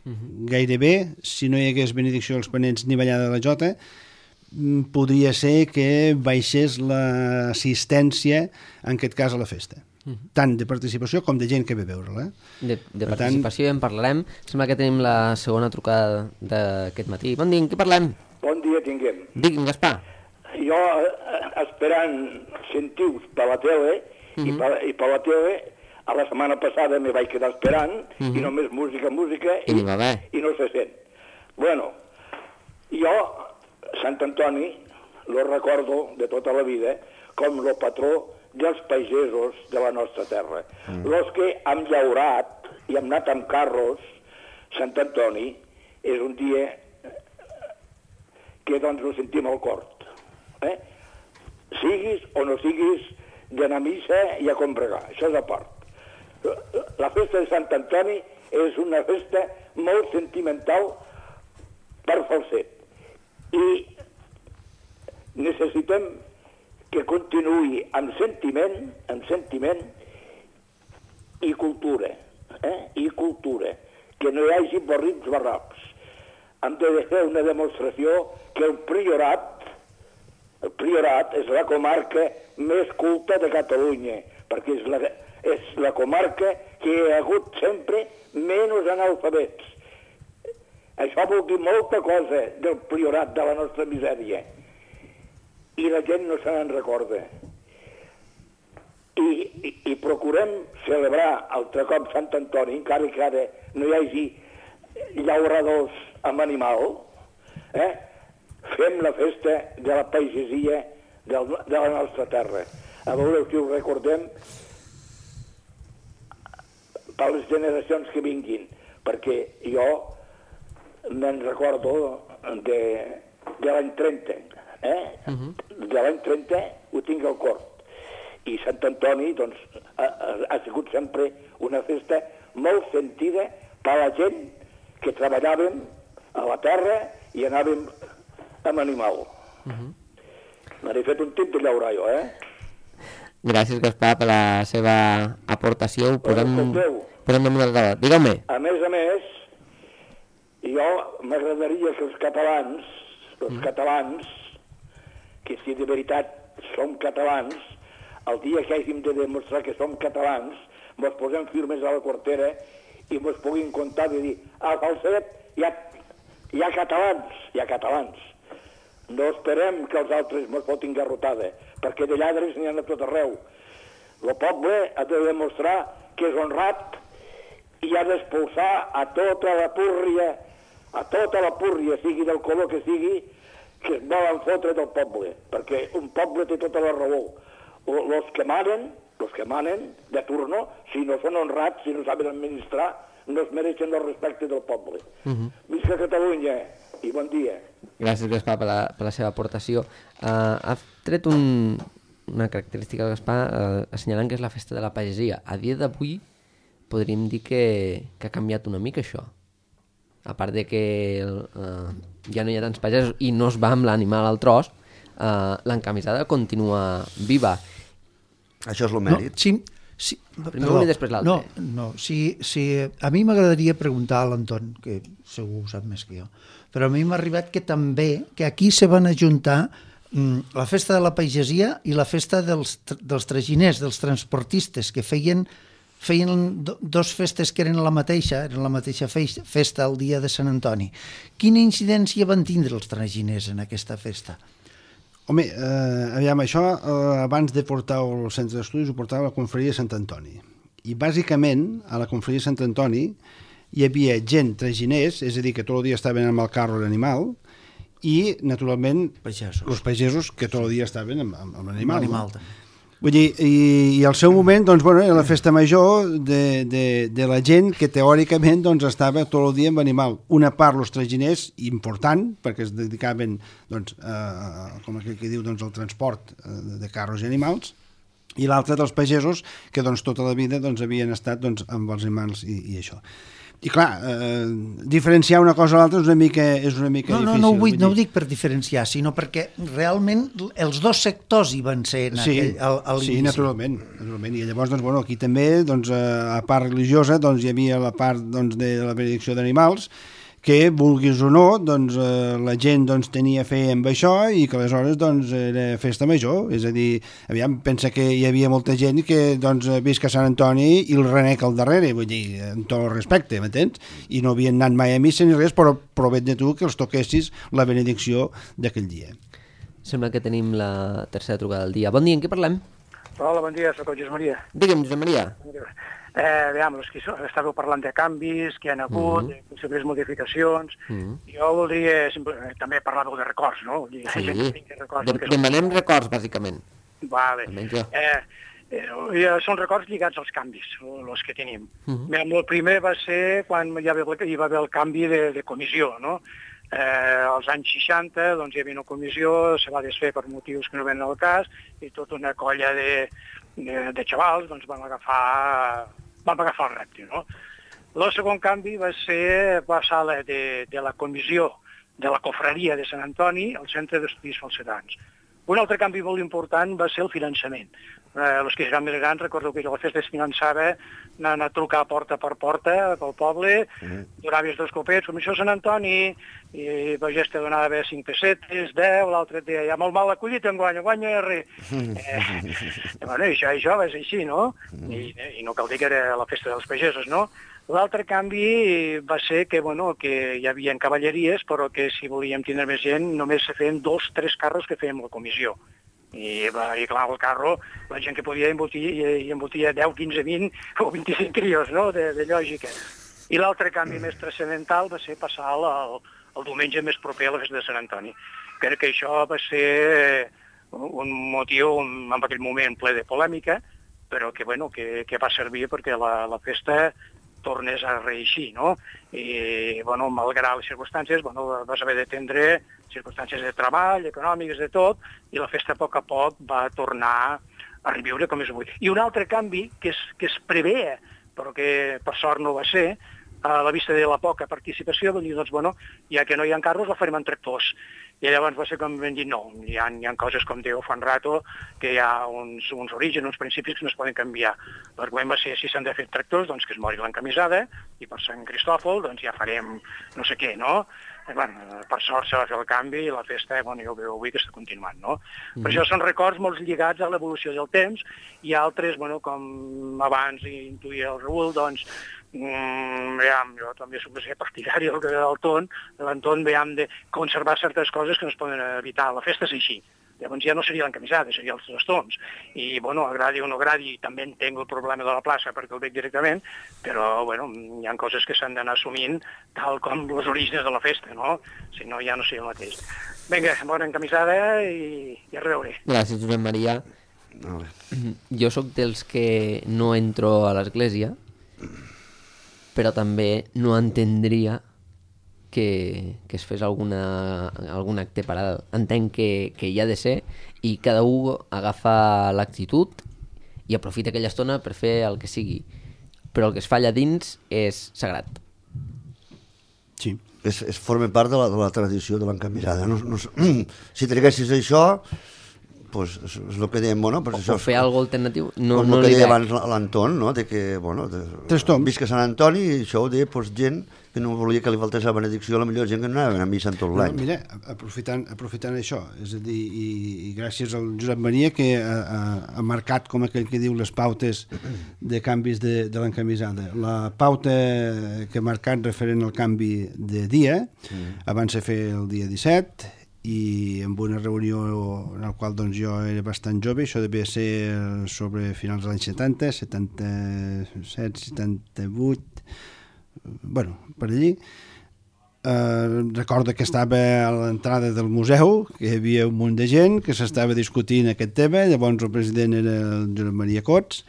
Uh-huh. Gairebé, si no hi hagués benedicció dels panets ni ballada de la jota, podria ser que baixés l'assistència, en aquest cas, a la festa. Uh-huh. Tant de participació com de gent que ve a veure-la. De, de participació tant... ja en parlarem. Sembla que tenim la segona trucada d'aquest matí. Bon dia, en què parlem? Bon dia tinguem. Digui'm, Gaspar. Jo, eh, esperant sentir-vos per la tele, uh-huh. i, per, i per la tele, a la setmana passada me vaig quedar esperant, uh-huh. i només música, música, i, i, i no se sent. Bueno, jo... Sant Antoni lo recordo de tota la vida com el patró dels pagesos de la nostra terra. Mm. Los que hem llaurat i hem anat amb carros, Sant Antoni és un dia que doncs ho sentim al cor. Eh? Siguis o no siguis d'anar a missa i a combregar, això és a part. La festa de Sant Antoni és una festa molt sentimental per Falset. I necessitem que continuï amb sentiment, amb sentiment i cultura, eh? I cultura, que no hi hagi borrits barracs. Hem de fer una demostració que el Priorat, el Priorat és la comarca més culta de Catalunya, perquè és la, és la comarca que hi ha hagut sempre menys analfabets. Això vol dir molta cosa del Priorat, de la nostra misèria. I la gent no se n'en recorda. I, i, I procurem celebrar altre cop Sant Antoni, encara que ara no hi hagi llauradors amb animal, eh? Fem la festa de la pagesia del, de la nostra terra. A veure si ho recordem per les generacions que vinguin, perquè jo me'n recordo de, de l'any trenta, eh? Uh-huh. De l'any trenta ho tinc al cor. I Sant Antoni, doncs, ha, ha sigut sempre una festa molt sentida per la gent que treballàvem a la terra i anàvem amb animal. Uh-huh. M'he fet un tip de llaurar jo, eh? Gràcies, Gaspar, per la seva aportació. Ho posem, posem damunt de la taula. Digueu-me. A més a més, jo m'agradaria que els catalans, els mm. catalans, que si de veritat som catalans, el dia que hàgim de demostrar que som catalans, mos posem firmes a la quartera i mos puguin comptar de dir, a Falset hi ha, hi ha catalans, hi ha catalans. No esperem que els altres mos fotin garrotada, perquè de lladres n'hi ha a tot arreu. El poble ha de demostrar que és honrat i ha d'expulsar a tota la púrria, a tota la púrria, sigui del color que sigui, que es volen fotre del poble, perquè un poble té tota la raó. Els que manen, els que manen de turno, si no són honrats, si no saben administrar, no es mereixen el respecte del poble. Uh-huh. Visca Catalunya i bon dia. Gràcies, Gaspar, per la, per la seva aportació. Uh, ha tret un, una característica del Gaspar uh, assenyalant que és la festa de la pagesia. A dia d'avui podríem dir que, que ha canviat una mica això. A part de que uh, ja no hi ha tants pagesos i no es va amb l'animal al tros, uh, l'encamisada continua viva. Això és el mèrit. No, sí, sí, primer un i després l'altre. No, no, sí, sí, a mi m'agradaria preguntar a l'Anton, que segur ho sap més que jo, però a mi m'ha arribat que també, que aquí se van ajuntar mm, la festa de la pagesia i la festa dels, dels traginers, dels transportistes, que feien feien do, dos festes que eren la mateixa, eren la mateixa festa el dia de Sant Antoni. Quina incidència van tindre els traginers en aquesta festa? Home, eh, aviam, això eh, abans de portar al centre d'estudis ho portava a la confraria de Sant Antoni. I bàsicament a la confraria de Sant Antoni hi havia gent traginers, és a dir, que tot el dia estaven amb el carro l'animal, i naturalment pagesos. els pagesos que tot el dia estaven amb, amb, amb l'animal. Amb l'animal, també. Vull dir, i, i al seu moment, doncs, bueno, era la festa major de, de, de la gent que teòricament doncs, estava tot el dia amb animal. Una part, els traginers, important, perquè es dedicaven, doncs, a, com aquell que diu, doncs, al transport de carros i animals, i l'altra dels pagesos, que doncs, tota la vida doncs, havien estat doncs, amb els animals i, i això. I clar, eh, diferenciar una cosa a l'altra és una mica, és una mica no, difícil. No, no, ho vull, no ho dic per diferenciar, sinó perquè realment els dos sectors hi van ser en sí, aquell, al, a l'inici. Sí, naturalment, naturalment. I llavors, doncs, bueno, aquí també, doncs, a part religiosa, doncs, hi havia la part doncs, de la benedicció d'animals, que, vulguis o no, doncs, eh, la gent doncs, tenia fe amb això i que aleshores doncs, era festa major. És a dir, aviam, pensa que hi havia molta gent que doncs, visca Sant Antoni i el renec al darrere, vull dir, amb tot el respecte, m'entens? I no havien anat mai a missa ni res, però provet de tu que els toquessis la benedicció d'aquell dia. Sembla que tenim la tercera trucada del dia. Bon dia, en què parlem? Hola, bon dia, soc el Josep Maria. Digue'm, Josep Maria. Eh, veiem, que estàveu parlant de canvis que hi ha hagut, mm -hmm. de possibles modificacions. Mm -hmm. Jo voldria, simple, també parlàveu de records, no? Dir, sí, de records, de, demanem records, bàsicament. Vale. Eh, eh, són records lligats als canvis, els que tenim. Mm -hmm. El primer va ser quan hi va haver, hi va haver el canvi de, de comissió, no? Eh, als anys seixanta doncs, hi havia una comissió, se va desfer per motius que no venen al cas, i tota una colla de, de, de xavals doncs, van agafar... vam agafar el repte, no? El segon canvi va ser passar de, de la comissió de la cofreria de Sant Antoni al Centre d'Estudis Falsetans. Un altre canvi molt important va ser el finançament. Eh, els que seran més grans, recordo que la festa es finançava anant a trucar porta per porta pel poble, mm. donaves dos copets, comissió Sant Antoni, i el pagès te donava cinc pessetes, deu, l'altre et deia, ja molt mal acollit, en guanya, guanya res. Eh, bueno, això, això va ser així, no? I, I no cal dir que era la festa dels pagesos, no? L'altre canvi va ser que, bueno, que hi havia cavalleries, però que si volíem tindre més gent només se feien dos, tres carros que fèiem la comissió. I, i clar, el carro, la gent que podia embotir, i embotia deu, quinze, vint o vint-i-cinc crios, no?, de, de lògica. I l'altre canvi més transcendental va ser passar el, el diumenge més proper a la festa de Sant Antoni. Crec que això va ser un motiu en aquell moment ple de polèmica, però que, bueno, que, que va servir perquè la, la festa tornés a reeixir, no? I, bueno, malgrat les circumstàncies, bueno, vas haver d'atendre circumstàncies de treball, econòmiques, de tot, i la festa a poc a poc va tornar a reviure com és avui. I un altre canvi que es, que es preveia, però que per sort no va ser, a la vista de la poca participació, van dir, doncs, bueno, ja que no hi ha carros, la farem en tractors. I llavors va ser com vam dir, no, hi ha, hi ha coses com Déu fa un rato, que hi ha uns, uns orígens, uns principis que no es poden canviar. L'argument va ser, si s'han de fer tractors, doncs que es mori l'encamisada, i per Sant Cristòfol, doncs ja farem no sé què, no? I, bueno, per sort se va fer el canvi i la festa, bueno, ja ho veu avui que està continuant, no? Mm. Per això són records molt lligats a l'evolució del temps, i altres, bueno, com abans intuïa el Raül, doncs, Mm, veiem, jo també soc partidari del, del ton, de l'entorn, veiem, de conservar certes coses que no es poden evitar. La festa és així. Llavors ja no seria l'encamisada, seria els trastons. I, bueno, agradi o no agradi, també entenc el problema de la plaça perquè el veig directament, però, bueno, hi ha coses que s'han d'anar assumint tal com els orígens de la festa, no? Si no, ja no seria el mateix. Vinga, bona encamisada i, i a reveure. Gràcies, Josep Maria. No, jo sóc dels que no entro a l'església, però també no entendria que, que es fes alguna, algun acte paral·lel. Entenc que, que hi ha de ser i cada un agafa l'actitud i aprofita aquella estona per fer el que sigui. Però el que es fa allà dins és sagrat. Sí. És, és forma part de la, de la tradició de l'encamisada. No, no, si triguessis això, pues, és, és el que dèiem, bueno, pues o, això, o fer alguna alternatiu. No, com no el que li deia veig. abans l'Anton, no? De que, bueno, de, Trastorns. visca Sant Antoni, i això ho deia, pues, gent que no volia que li faltés la benedicció, la millor gent que no anava a missa en tot l'any. No, mira, aprofitant, aprofitant això, és a dir, i, i gràcies al Josep Maria que ha, ha, ha marcat, com aquell que diu, les pautes de canvis de, de l'encamisada. La pauta que ha marcat referent al canvi de dia, mm. abans de fer el dia disset, i amb una reunió en la qual doncs, jo era bastant jove, això devia ser sobre finals dels anys setanta, setanta-set, setanta-vuit, bueno, per allí, eh, recordo que estava a l'entrada del museu, que hi havia un munt de gent que s'estava discutint aquest tema, llavors el president era el Josep Maria Cots,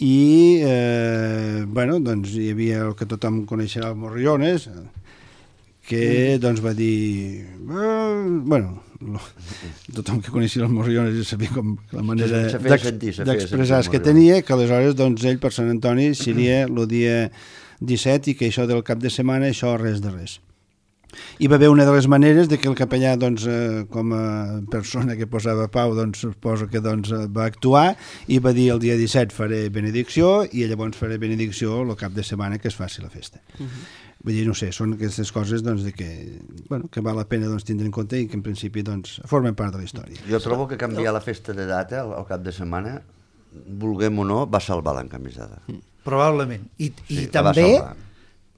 i eh, bueno, doncs hi havia el que tothom coneixerà, el Morriones, que doncs va dir eh, bueno, tothom que coneixia el Morriones ja sabia com la manera d'expressar que tenia, que aleshores doncs ell per Sant Antoni seria el dia disset i que això del cap de setmana això res de res. Hi va haver una de les maneres de que el capellà doncs, eh, com a persona que posava pau doncs suposo que doncs, va actuar i va dir el dia disset faré benedicció i llavors faré benedicció el cap de setmana que es faci la festa. Uh-huh. Vull dir, no sé, són aquestes coses doncs, de que, bueno, que val la pena doncs, tindre en compte i que en principi doncs, formen part de la història. Jo trobo que canviar la festa de data al, al cap de setmana, vulguem o no, va salvar l'encamisada. Probablement. I, i sí, també,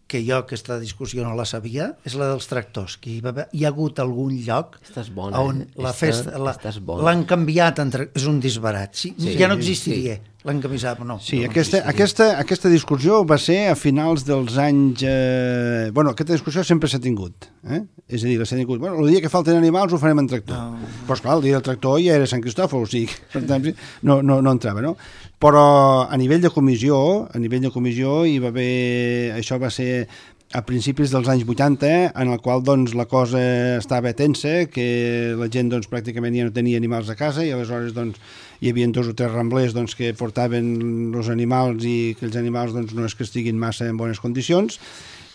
que jo aquesta discussió no la sabia, és la dels tractors, que hi, va haver, hi ha hagut algun lloc bona, on eh? la Esta, festa l'han canviat, entre, és un disbarat. Sí, sí, ja no existiria. Sí. L'encamisada, no. Sí, no aquesta, aquesta, aquesta discussió va ser a finals dels anys... Eh... Bueno, aquesta discussió sempre s'ha tingut. Eh? És a dir, s'ha tingut... Bueno, el dia que falten animals ho farem en tractor. No. Però, esclar, el dia del tractor ja era Sant Cristòfol, o sigui, per tant, no, no, no entrava, no? Però a nivell de comissió, a nivell de comissió hi va haver... Això va ser a principis dels anys vuitanta, en el qual doncs, la cosa estava tensa, que la gent doncs, pràcticament ja no tenia animals a casa i aleshores doncs, hi havia dos o tres ramblers doncs, que portaven els animals i que els animals doncs, no és que estiguin massa en bones condicions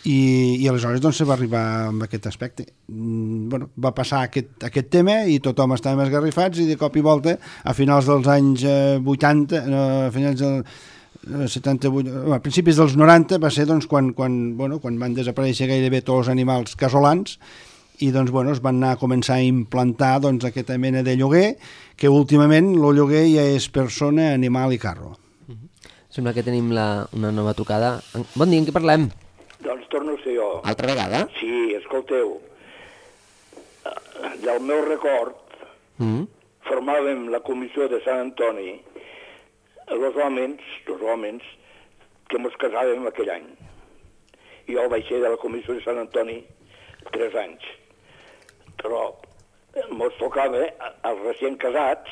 i, i aleshores doncs, se va arribar amb aquest aspecte. Mm, bueno, va passar aquest, aquest tema i tothom estava esgarrifats i de cop i volta a finals dels anys eh, vuitanta, no, a finals del setanta-vuit, a principis dels noranta va ser doncs, quan, quan, bueno, quan van desaparèixer gairebé tots els animals casolans i doncs, bueno, es van anar a començar a implantar doncs, aquesta mena de lloguer que últimament el lloguer ja és persona, animal i carro. Uh-huh. Sembla que tenim la, una nova trucada. Bon dia, en què parlem? Doncs torno a ser jo. Altra vegada? Sí, escolteu, del meu record uh-huh. formàvem la comissió de Sant Antoni els homes, els homes que ens casàvem aquell any. Jo vaig ser de la comissió de Sant Antoni tres anys, però ens tocava als recient casats,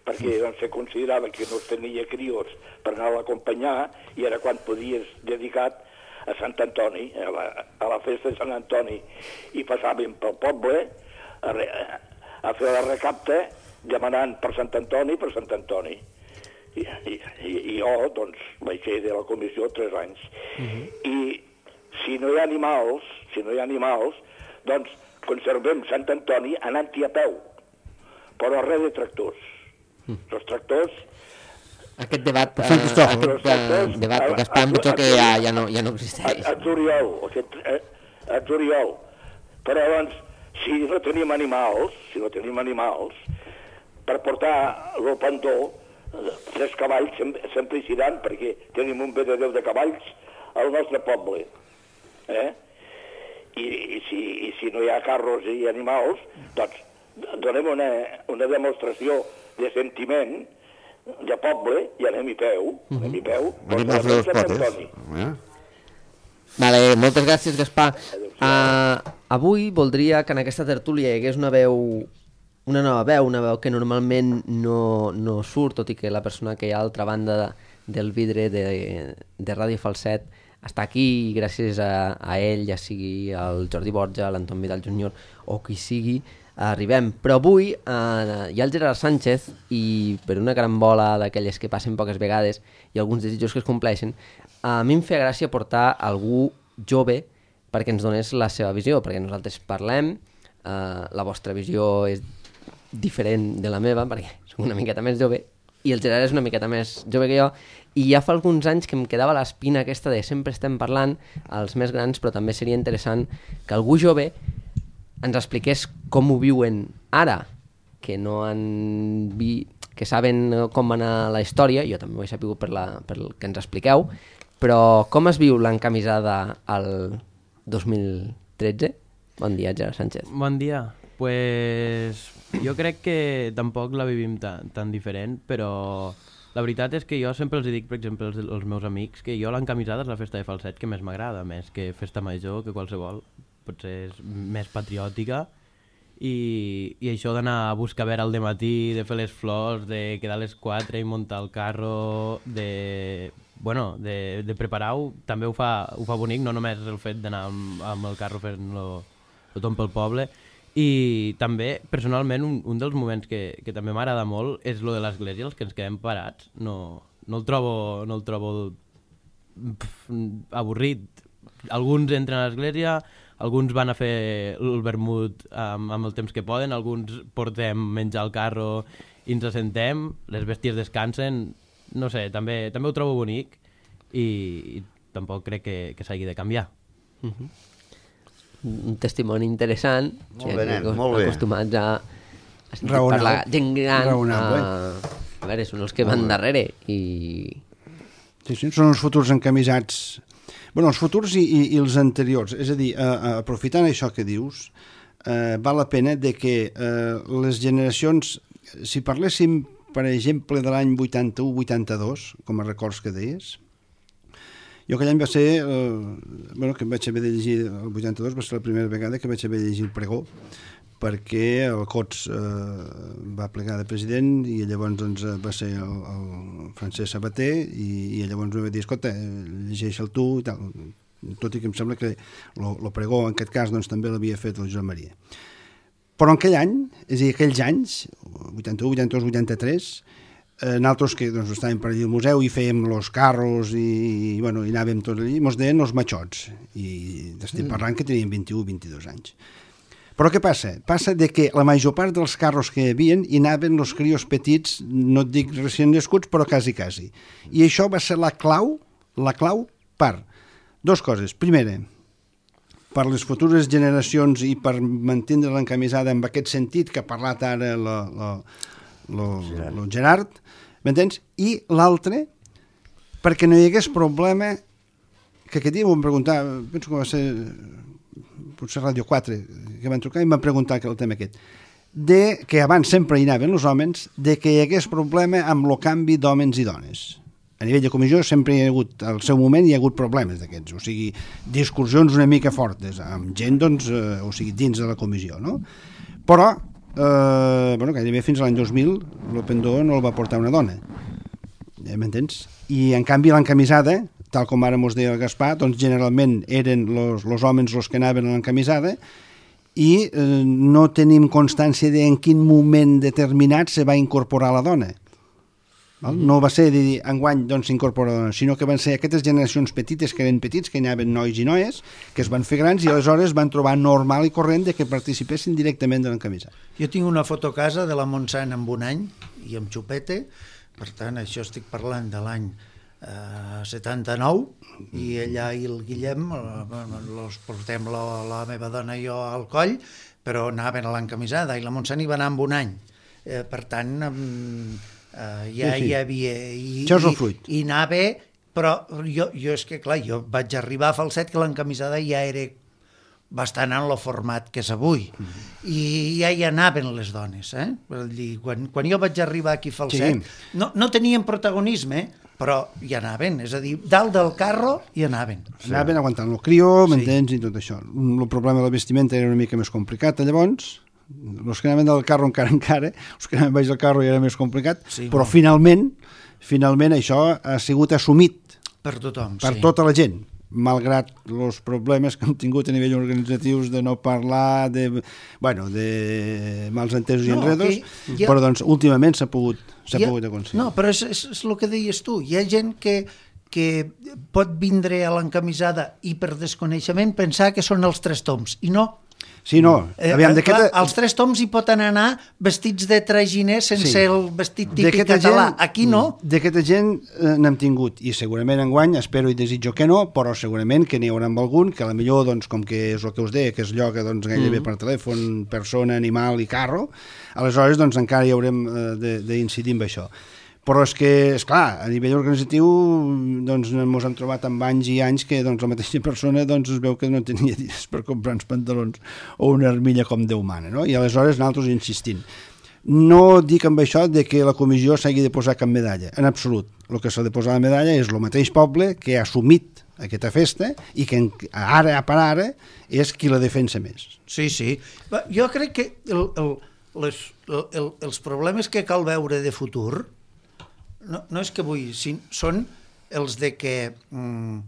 perquè doncs, se considerava que no tenia crios per anar a l'acompanyar i era quan podies dedicat a Sant Antoni, a la, a la festa de Sant Antoni, i passàvem pel poble a, re, a fer la recapta demanant per Sant Antoni, per Sant Antoni. I, i, i jo, doncs, vaig ser de la comissió tres anys. Uh-huh. I si no hi ha animals, si no hi ha animals, doncs conservem Sant Antoni anant-hi a peu, però res de tractors. Uh-huh. Els tractors... Aquest debat, eh, aquest eh, debat, que esperem potser que ja, ja, no, ja no existeix. A, a Zuriol, aquest, a, a Zuriol. Però, doncs, si no tenim animals, si no tenim animals, per portar el pandó, tres cavalls sempre, sempre hi seran, perquè tenim un bededeu de cavalls al nostre poble. Eh? I, i, si, I si no hi ha carros i animals, doncs donem una, una demostració de sentiment de poble i anem i peu. Uh-huh. Anem i peu. Venim a fer els potes. Eh? Vale, moltes gràcies, Gaspar. Uh, avui voldria que en aquesta tertúlia hi hagués una veu... una nova veu, una veu que normalment no, no surt, tot i que la persona que hi ha a l'altra banda de, del vidre de, de Ràdio Falset està aquí i gràcies a, a ell, ja sigui el Jordi Borja, l'Anton Vidal júnior o qui sigui, arribem. Però avui eh, hi ha el Gerard Sánchez i per una gran bola d'aquelles que passen poques vegades i alguns desitjos que es compleixen, a mi em feia gràcia portar algú jove perquè ens donés la seva visió, perquè nosaltres parlem, eh, la vostra visió és diferent de la meva, perquè soc una miqueta més jove, i el Gerard és una miqueta més jove que jo, i ja fa alguns anys que em quedava l'espina aquesta de sempre estem parlant, els més grans, però també seria interessant que algú jove ens expliqués com ho viuen ara, que no han vi... que saben com va anar la història, jo també ho he sabut per, la... per el que ens expliqueu, però com es viu l'encamisada al dos mil tretze? Bon dia, Gerard Sánchez. Bon dia. Pues jo crec que tampoc la vivim tan, tan diferent, però la veritat és que jo sempre els dic, per exemple, als, als meus amics, que jo l'encamisada és la festa de Falset que més m'agrada, més que festa major, que qualsevol, potser és més patriòtica, i, i això d'anar a buscar vera al dematí, de fer les flors, de quedar a les quatre i muntar el carro, de, bueno, de, de preparar-ho, també ho fa, ho fa bonic, no només el fet d'anar amb, amb el carro fent-lo tothom pel poble. I també, personalment, un, un dels moments que, que també m'agrada molt és lo de l'església, els que ens quedem parats. No, no el trobo, no el trobo pf, avorrit. Alguns entren a l'església, alguns van a fer el vermut amb, amb el temps que poden, alguns portem menjar al carro i ens assentem, les bèsties descansen, no sé, també, també ho trobo bonic i, i tampoc crec que, que s'hagi de canviar. Uh-huh. Un testimoni interessant, molt bé, nen, molt bé. Acostumats a, a sentir parlar gent gran, a, a veure, són els que van darrere i... Sí, sí, són els futurs encamisats. Bueno, els futurs i, i, i els anteriors, és a dir, eh, aprofitant això que dius, eh, val la pena de que eh, les generacions, si parléssim, per exemple, de l'any vuitanta-u vuitanta-dos, com a records que deies, jo aquell any va ser, eh, bueno, que vaig haver de llegir, el vuitanta-dos va ser la primera vegada que vaig haver de llegir el pregó, perquè el Cots eh, va plegar de president i llavors doncs, va ser el, el Francesc Sabater i, i llavors em va dir, escolta, llegeix-el tu i tal, tot i que em sembla que el pregó en aquest cas doncs, també l'havia fet el Joan Maria. Però en aquell any, és a dir, aquells anys, vuitanta-u, vuitanta-dos, vuitanta-tres, eh, nosaltres que doncs, estàvem per allà al museu i fèiem els carros i, i, bueno, i anàvem tot allà, mos deien els matxots i estem parlant que teníem vint-i-u, vint-i-dos anys. Però què passa? Passa de que la major part dels carros que hi havia hi anaven els crios petits, no et dic recient nascuts, però quasi, quasi. I això va ser la clau, la clau per dues coses. Primera, per les futures generacions i per mantenir l'encamisada en aquest sentit que ha parlat ara el Gerard, m'entens? I l'altre, perquè no hi hagués problema, que aquest dia m'ho van preguntar, penso que va ser... potser Ràdio quatre, que van trucar i em van preguntar el tema aquest, de que abans sempre hi anaven els homes, de que hi hagués problema amb el canvi d'homes i dones. A nivell de comissió sempre hi ha hagut, al seu moment hi ha hagut problemes d'aquests, o sigui, discussions una mica fortes, amb gent, doncs, eh, o sigui, dins de la comissió, no? Però, eh, bueno, gairebé fins a l'any dos mil, el pendó no el va portar una dona, ja m'entens? I, en canvi, l'encamisada, tal com ara mos deia el Gaspar, doncs generalment eren els homes els que anaven a l'encamisada i eh, no tenim constància de en quin moment determinat se va incorporar la dona. Val? Mm-hmm. No va ser de dir, enguany doncs s'incorpora la dona, sinó que van ser aquestes generacions petites que eren petits, que hi anaven nois i noies, que es van fer grans i aleshores van trobar normal i corrent de que participessin directament de l'encamisada. Jo tinc una foto a casa de la Montsant amb un any i amb xupete, per tant això estic parlant de l'any Uh, setanta-nou i ella i el Guillem els portem la, la meva dona i jo al coll, però anaven a l'encamisada i la Montsant hi va anar amb un any, eh, per tant um, uh, ja sí, sí. hi havia i, això és el fruit. I, i anava, però jo, jo és que clar, jo vaig arribar a Falset que l'encamisada ja era bastant en el format que és avui, mm-hmm. i ja hi anaven les dones, eh? Dir, quan, quan jo vaig arribar aquí a Falset sí. no, no tenien protagonisme, però hi anaven, és a dir, dalt del carro hi anaven. Sí. Anaven aguantant el crió, m'entens, sí. I tot això. El problema de la vestimenta era una mica més complicat, llavors, els que anaven del carro encara encara, els que anaven baix del carro ja era més complicat, sí, però no. finalment, finalment això ha sigut assumit per tothom, per sí. tota la gent, malgrat els problemes que hem tingut a nivell organitzatius de no parlar, de, bueno, de mals entesos no, i enredos, ha... però doncs últimament s'ha pogut s'ha ha... pogut aconseguir. No, però és, és, és el que deies tu, hi ha gent que, que pot vindre a l'encamisada i per desconeixement pensar que són els tres toms, i no. Sí, no. Aviam, eh, clar, els tres toms hi poden anar vestits de traginer sense sí. el vestit típic català. Gent, aquí no. D'aquesta gent eh, n'hem tingut, i segurament enguany, espero i desitjo que no, però segurament que n'hi haurà amb algun, que a la millor, doncs, com que és el que us deia, que es lloga doncs, gairebé mm. per telèfon, persona, animal i carro, aleshores doncs, encara hi haurem eh, d'incidir amb això. Però és que, esclar, a nivell organitzatiu doncs ens hem trobat amb anys i anys que doncs, la mateixa persona doncs, es veu que no tenia diners per comprar uns pantalons o una armilla com Déu mana, no? I aleshores nosaltres insistint. No dic amb això de que la comissió s'hagi de posar cap medalla, en absolut. El que s'ha de posar la medalla és el mateix poble que ha assumit aquesta festa i que ara per ara és qui la defensa més. Sí, sí. Jo crec que el, el, les, el, els problemes que cal veure de futur no, no és que vull, sin, són els de que mm,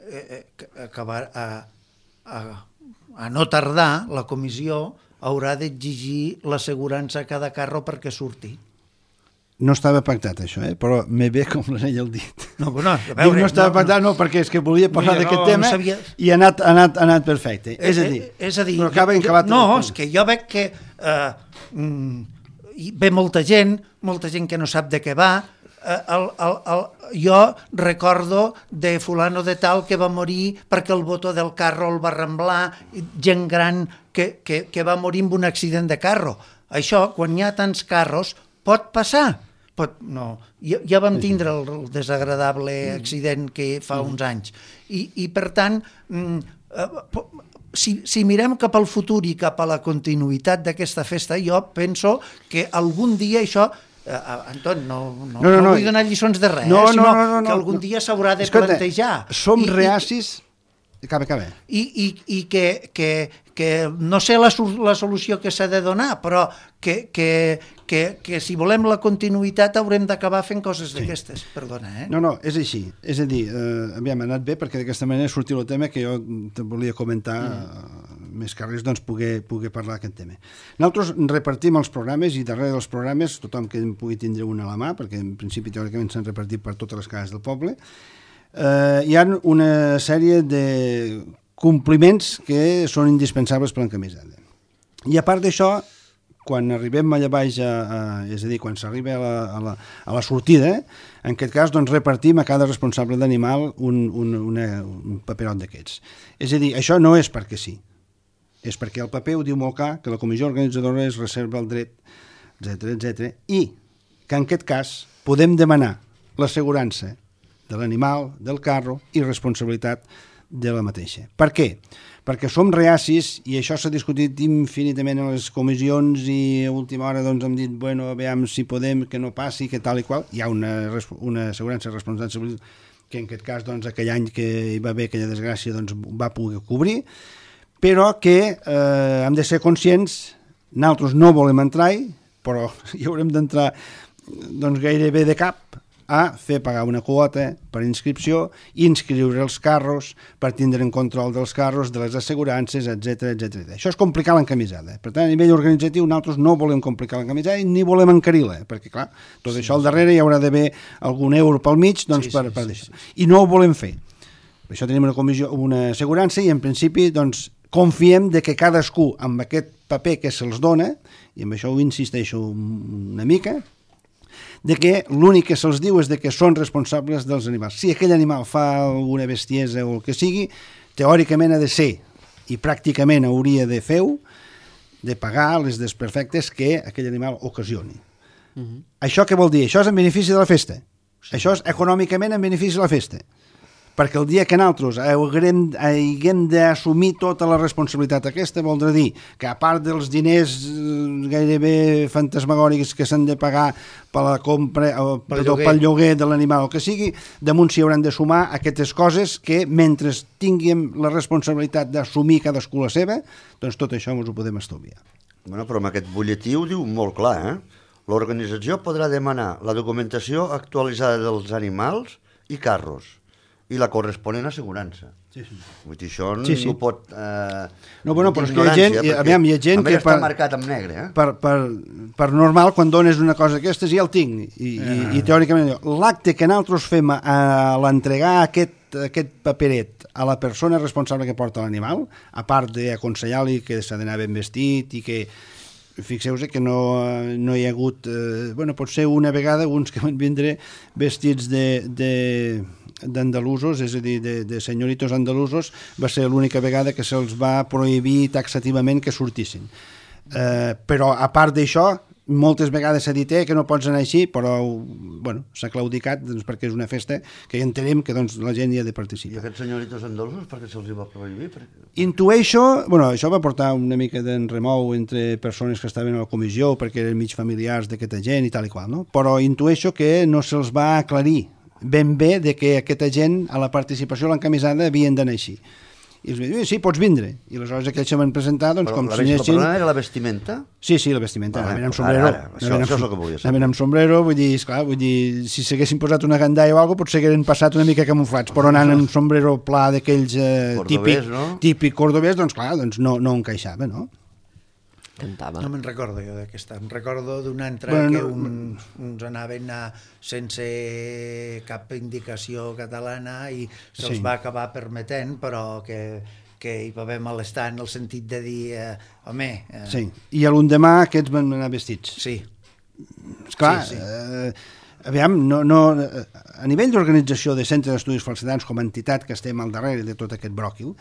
eh, acabar a, a, a no tardar la comissió haurà d'exigir l'assegurança a cada carro perquè surti. No estava pactat això, eh? Però me ve com l'anell al dit. No, no, a veure, no estava no, pactat, no, perquè és que volia parlar Mira, d'aquest no, tema no sabia... i ha anat, ha anat, ha anat perfecte. Eh, és a dir, eh, és a dir però acaba jo, acabat... No, és que jo veig que eh, mm, ve molta gent, molta gent que no sap de què va. Eh, el, el, el, jo recordo de fulano de tal que va morir perquè el botó del carro el va remblar, gent gran que, que, que va morir amb un accident de carro. Això, quan hi ha tants carros, pot passar. Pot, no. Ja, ja vam tindre el, el desagradable accident que fa uns anys. I, i per tant, si, si mirem cap al futur i cap a la continuïtat d'aquesta festa, jo penso que algun dia això... Uh, Anton, no, no, no, no, no vull donar lliçons de res, no, eh, sinó no, no, no, que algun dia s'haurà de Escolta, plantejar. Som I, reacis... Acaba, acaba. I, i, i que, que, que no sé la, la solució que s'ha de donar, però que, que, que, que si volem la continuïtat haurem d'acabar fent coses d'aquestes. Sí. Perdona, eh? No, no, és així. És a dir, eh, aviam, ha anat bé perquè d'aquesta manera sortiu el tema que jo te volia comentar mm. més que res, doncs, poder, poder parlar d'aquest tema. Nosaltres repartim els programes i darrere dels programes, tothom que en pugui tindre una a la mà, perquè en principi teòricament s'han repartit per totes les cases del poble, Uh, hi ha una sèrie de compliments que són indispensables per l'encamisada. I a part d'això, quan arribem allà baix, a, a, és a dir, quan s'arriba a, la, a, la, a la sortida, en aquest cas doncs, repartim a cada responsable d'animal un, un, una, un paperot d'aquests. És a dir, això no és perquè sí, és perquè el paper ho diu molt clar, que la comissió organitzadora es reserva el dret, etcètera, etcètera, i que en aquest cas podem demanar l'assegurança de l'animal, del carro i responsabilitat de la mateixa. Per què? Perquè som reacis, i això s'ha discutit infinitament en les comissions i a última hora doncs, hem dit, bueno, veiem si podem, que no passi, que tal i qual. Hi ha una, una assegurança responsable que en aquest cas, doncs, aquell any que hi va haver aquella desgràcia, doncs, va poder cobrir, però que eh, hem de ser conscients, nosaltres no volem entrar-hi, però hi haurem d'entrar doncs, gairebé de cap, a fer pagar una quota per inscripció, inscriure els carros per tindre en control dels carros, de les assegurances, etcètera, etcètera. Això és complicar l'encamisada. Per tant, a nivell organitzatiu, nosaltres no volem complicar l'encamisada ni volem encarir-la, perquè, clar, tot sí, això al darrere hi haurà d'haver algun euro pel mig doncs, sí, per, per sí, sí, sí. I no ho volem fer. Per això tenim una comissió, una assegurança i, en principi, doncs, confiem de que cadascú, amb aquest paper que se'ls dona, i amb això ho insisteixo una mica, de que l'únic que se'ls diu és de que són responsables dels animals. Si aquell animal fa alguna bestiesa o el que sigui, teòricament ha de ser, i pràcticament hauria de fer-ho, de pagar les desperfectes que aquell animal ocasioni. Uh-huh. Això què vol dir? Això és en benefici de la festa. Sí. Això és econòmicament en benefici de la festa. Perquè el dia que nosaltres haguem, haguem d'assumir tota la responsabilitat aquesta, voldrà dir que a part dels diners gairebé fantasmagòrics que s'han de pagar per la compra, o, pel, lloguer. pel lloguer de l'animal o que sigui, damunt s'hi hauran de sumar aquestes coses que mentre tinguem la responsabilitat d'assumir cadascú la seva, doncs tot això ens ho podem estalviar. Bueno, però amb aquest butlletí ho diu molt clar, eh? L'organització podrà demanar la documentació actualitzada dels animals i carros i la corresponent assegurança. Sí, sí. Vull dir, això sí, sí. no pot... Eh, no, bueno, però és que hi ha gent, perquè, aviam, hi ha gent que... està per, marcat amb negre, eh? Per, per, per normal, quan dones una cosa d'aquestes, ja el tinc. I, ah. i, i teòricament, l'acte que nosaltres fem a l'entregar aquest, aquest paperet a la persona responsable que porta l'animal, a part d'aconsellar-li que s'ha d'anar ben vestit i que... Fixeu-vos que no, no hi ha hagut... Eh, bueno, potser una vegada uns que van vindre vestits de... de d'andalusos, és a dir, de, de senyoritos andalusos, va ser l'única vegada que se'ls va prohibir taxativament que sortissin. Eh, però, a part d'això, moltes vegades s'ha dit eh, que no pots anar així, però bueno, s'ha claudicat doncs, perquè és una festa que entenem que doncs, la gent hi ha de participar. I aquests senyoritos andalusos per què se'ls va prohibir? Perquè... Intueixo, bueno, això va portar una mica d'enremou entre persones que estaven a la comissió perquè eren mig familiars d'aquesta gent i tal i qual, no? Però intueixo que no se'ls va aclarir ben bé de que aquesta gent a la participació a l'encamisada havien d'anar així. I els vaig dir, sí, pots vindre. I aleshores aquells se van presentar, doncs, Però com la, si anessin... la era la vestimenta? Sí, sí, la vestimenta. Vale, Anaven amb ara, sombrero. ara, això, anaven amb, això és el que volia saber. anaven amb sombrero, vull dir, esclar, vull dir, si s'haguessin posat una gandalla o alguna cosa, potser hagueren passat una mica camuflats, però anant amb sombrero pla d'aquells eh, típic, no? típic cordobès, doncs clar, doncs no, no encaixava, no? Cantava. No me'n recordo jo d'aquesta. Em recordo d'una altra Bueno, que no, uns, uns anaven a, sense cap indicació catalana i se'ls Sí. va acabar permetent, però que, que hi va haver malestar en el sentit de dir, eh, home... Eh, Sí, i a l'endemà aquests van anar vestits. Sí. Esclar, Sí, sí. Eh, aviam, no, no, a nivell d'organització de centres d'estudis falsedans com a entitat que estem al darrere de tot aquest bròquil,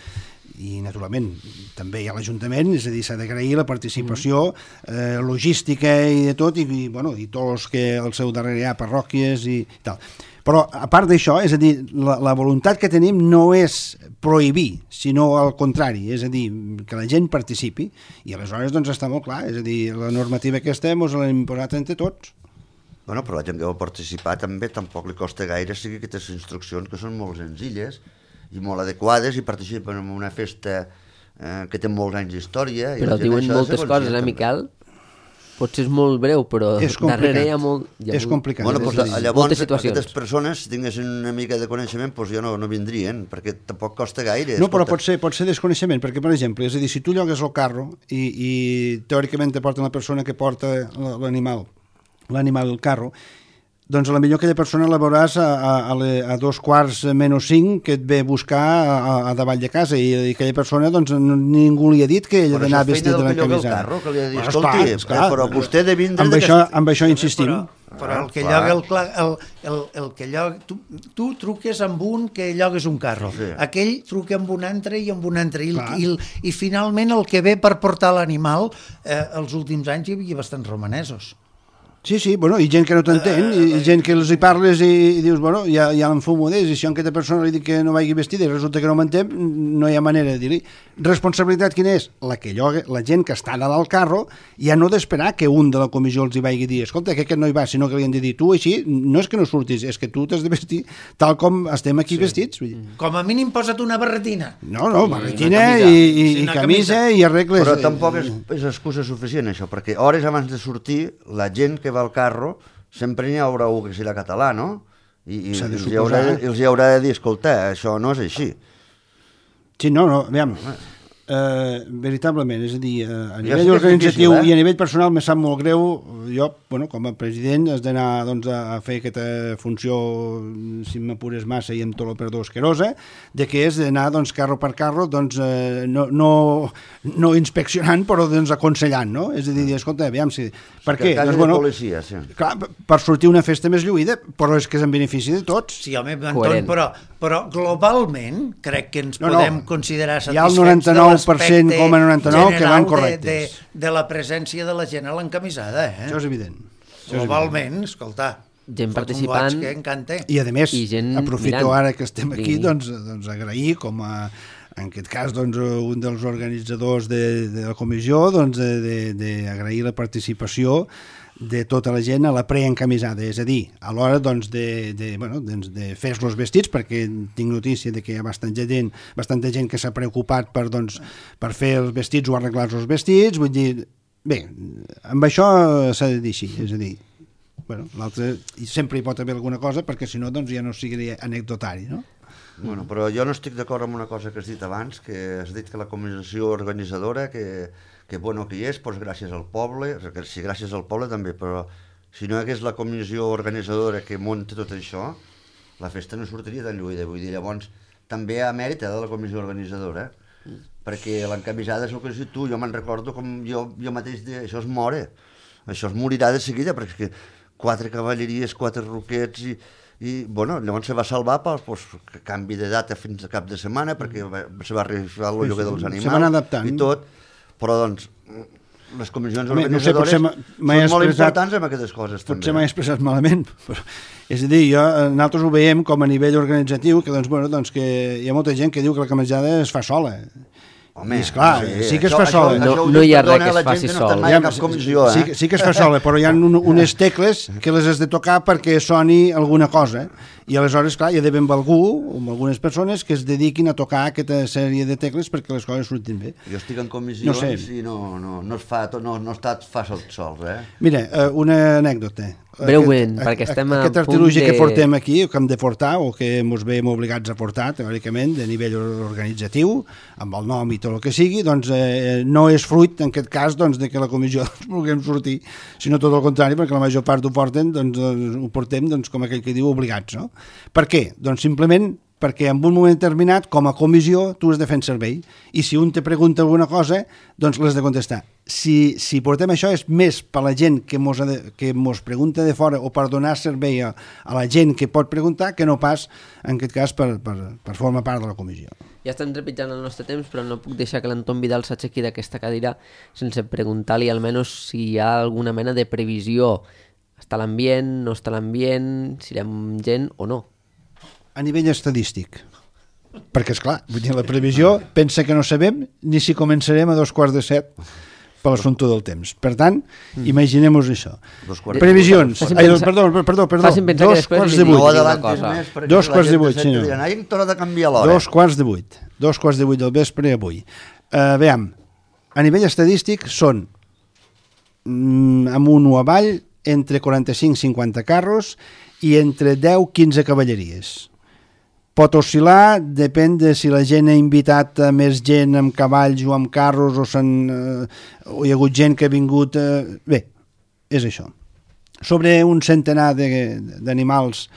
i naturalment també hi ha l'Ajuntament, és a dir, s'ha d'agrair la participació eh, logística i de tot, i, i, bueno, i tots els que al seu darrere hi ha parròquies i tal. Però a part d'això, és a dir, la, la voluntat que tenim no és prohibir, sinó al contrari, és a dir, que la gent participi, i aleshores doncs està molt clar, és a dir, la normativa que estem ens l'hem imposat entre tots. Bueno, però la gent que va participar també tampoc li costa gaire seguir aquestes instruccions que són molt senzilles i molt adequades i participen en una festa eh, que té molts anys d'història. Però diuen moltes coses, eh, Miquel? Potser és molt breu, però és darrere hi ha molt... Hi ha és molt, complicat. Bueno, és doncs, a dir, llavors, aquestes persones, si tinguessin una mica de coneixement, doncs ja no, no vindrien, perquè tampoc costa gaire. No, però escolta. pot ser, pot ser desconeixement, perquè, per exemple, és a dir, si tu llogues el carro i, i teòricament te porten la persona que porta l'animal, l'animal al carro, doncs a la millor aquella persona la veuràs a, a, a, le, a dos quarts menys cinc que et ve a buscar a, a davall de casa, i, i aquella persona doncs ningú li ha dit que ella ha d'anar vestit de la camisada. Carro, que li ha dit, Bueno, escolti, esclar, esclar, però vostè de vindre... amb, això, amb això insistim. Però, però el que lloga el, el, el, el que lloga, tu, tu truques amb un que llogues un carro, Sí. aquell truca amb un altre i amb un altre, i, Clar. i, i finalment el que ve per portar l'animal, eh, els últims anys hi havia bastants romanesos. Sí, sí, bueno, i gent que no t'entén, i, i gent que els hi parles i, i dius, bueno, ja, ja l'enfumo d'ells, i si a aquesta persona li dic que no vagi vestida i resulta que no m'entén, no hi ha manera de dir-li. Responsabilitat quina és? La que lloga, la gent que està dalt al carro, ja no d'esperar que un de la comissió els hi vagi a dir, escolta, que aquest no hi va, sinó que li han de dir, tu així, no és que no surtis, és que tu t'has de vestir tal com estem aquí sí. vestits. Vull dir. Com a mínim posa't una barretina. No, no, barretina i, i, Sí, i una camisa, camisa. i arregles. Però tampoc és, és excusa suficient, això, perquè hores abans de sortir, la gent que va al carro, sempre n'hi haurà un que serà català, no? I, i S'ha de els, hi haurà, suposar. els hi haurà de dir, escolta, això no és així. Sí, no, no, aviam, eh, veritablement, és a dir, eh, a Ja nivell sé que és organitzatiu difícil, eh? i a nivell personal me sap molt greu, jo, bueno, com a president has d'anar doncs, a fer aquesta funció, si m'apures massa i amb tot el perdó asquerosa, de que és d'anar doncs, carro per carro, doncs, eh, no, no, no inspeccionant, però doncs, aconsellant, no? És a dir, escolta, aviam, si... per què? Quasi Doncs, de bueno, policia, sí. clar, per sortir una festa més lluïda, però és que és en benefici de tots. Sí, home, Anton, Coherent. però, però globalment crec que ens No, no. podem considerar Hi ha el satisfets noranta-nou de per cent l'aspecte coma noranta-nou que van general correctes. De, de, de la presència de la gent a l'encamisada, eh? Això és evident. Això és Globalment, escolta, Gent fot un participant. goig que encanta. I a més, I gent aprofito mirant. ara que estem aquí, Sí. doncs, doncs agrair com a, en aquest cas, doncs, un dels organitzadors de, de la comissió, doncs, d'agrair la participació de tota la gent a la preencamisada, és a dir, a l'hora doncs, de, de, bueno, doncs, de fer-los vestits, perquè tinc notícia de que hi ha bastanta gent, bastanta gent que s'ha preocupat per, doncs, per fer els vestits o arreglar els vestits, vull dir, bé, amb això s'ha de dir així, és a dir, bueno, l'altre sempre hi pot haver alguna cosa, perquè si no doncs ja no sigui anecdotari, no? Bueno, però jo no estic d'acord amb una cosa que has dit abans, que has dit que la comissió organitzadora, que, que bueno que hi és, doncs gràcies al poble, que sí, gràcies al poble també, però si no hi hagués la comissió organitzadora que munta tot això, la festa no sortiria tan lluïda, vull dir, llavors també hi ha mèrit de la comissió organitzadora, eh? Perquè l'encamisada és el que has dit tu, jo me'n recordo com jo, jo mateix, de, això es mora, això es morirà de seguida, perquè quatre cavalleries, quatre roquets i... i bueno, llavors se va salvar per pues, canvi de data fins a cap de setmana perquè va, se va arribar el lloguer dels animals se van adaptant i tot, però doncs les comissions Home, no sé, organitzadores potser m'he són molt expressat- importants en aquestes coses potser també. m'he expressat malament, però, és a dir, jo, nosaltres ho veiem com a nivell organitzatiu, que, doncs, bueno, doncs, que hi ha molta gent que diu que la camisada es fa sola, Home, I esclar, sí, sí que es això- fa sola. això- No, això ho no hi ha perdona res que es la gent faci no està sol. mai a cap comissió, sí, eh? sí que es fa sola, però hi ha un, unes tecles que les has de tocar perquè soni alguna cosa. I aleshores, clar, hi ha d'haver amb algú, o amb algunes persones que es dediquin a tocar aquesta sèrie de tecles perquè les coses surtin bé. Jo estic en comissions No sé. i no, no, no, es fa, no, no està fàcil sols, eh? Mira, eh, una anècdota. Breument, Aquest- perquè estem a Aquest punt artilugi de- que portem aquí, que hem de portar, o que ens veiem obligats a portar, teòricament, de nivell organitzatiu, amb el nom i tot el que sigui, doncs eh, no és fruit, en aquest cas, doncs, de que la comissió ens vulguem sortir, sinó tot el contrari, perquè la major part ho porten, doncs, doncs ho portem, doncs, com aquell que diu, obligats, no? Per què? Doncs simplement perquè en un moment determinat, com a comissió, tu has de fer un servei, i si un te pregunta alguna cosa, doncs l'has de contestar. Si, si portem això és més per la gent que mos, ha de, que mos pregunta de fora o per donar servei a, a la gent que pot preguntar, que no pas, en aquest cas, per, per, per formar part de la comissió. Ja estem trepitjant el nostre temps, però no puc deixar que l'Anton Vidal s'aixequi d'aquesta cadira sense preguntar-li almenys si hi ha alguna mena de previsió. Està a l'ambient, no està a l'ambient, si serem gent o no. A nivell estadístic. Perquè, és clar, vull dir, la previsió pensa que no sabem ni si començarem a dos quarts de set per l'assumpte del temps. Per tant, mm. imaginem-nos això. Previsions. Facin Ai, pensar- perdó, perdó, perdó. facin pensar que Dos després quarts li de dic vuit. No una adelantis cosa. més, perquè Dos la quarts de gent vuit, se senyor. diran, ai, t'haurà de canviar l'hora. Dos quarts de vuit. Dos quarts de vuit del vespre avui. Uh, veiem, a nivell estadístic són mm, amunt o avall entre quaranta-cinc i cinquanta carros i entre deu i quinze cavalleries. Pot oscil·lar, depèn de si la gent ha invitat a més gent amb cavalls o amb carros o, eh, o hi ha hagut gent que ha vingut... Eh, bé, és això. Sobre un centenar d'animals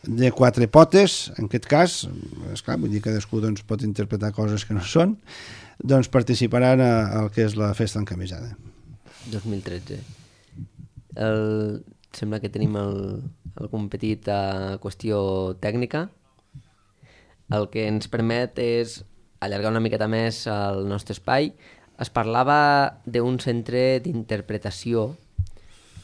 de quatre potes, en aquest cas, esclar, vull dir que cadascú doncs, pot interpretar coses que no són, doncs participaran al que és la festa encamisada. dos mil tretze. El... Sembla que tenim el, algun petit uh, qüestió tècnica. El que ens permet és allargar una miqueta més el nostre espai. Es parlava d'un centre d'interpretació,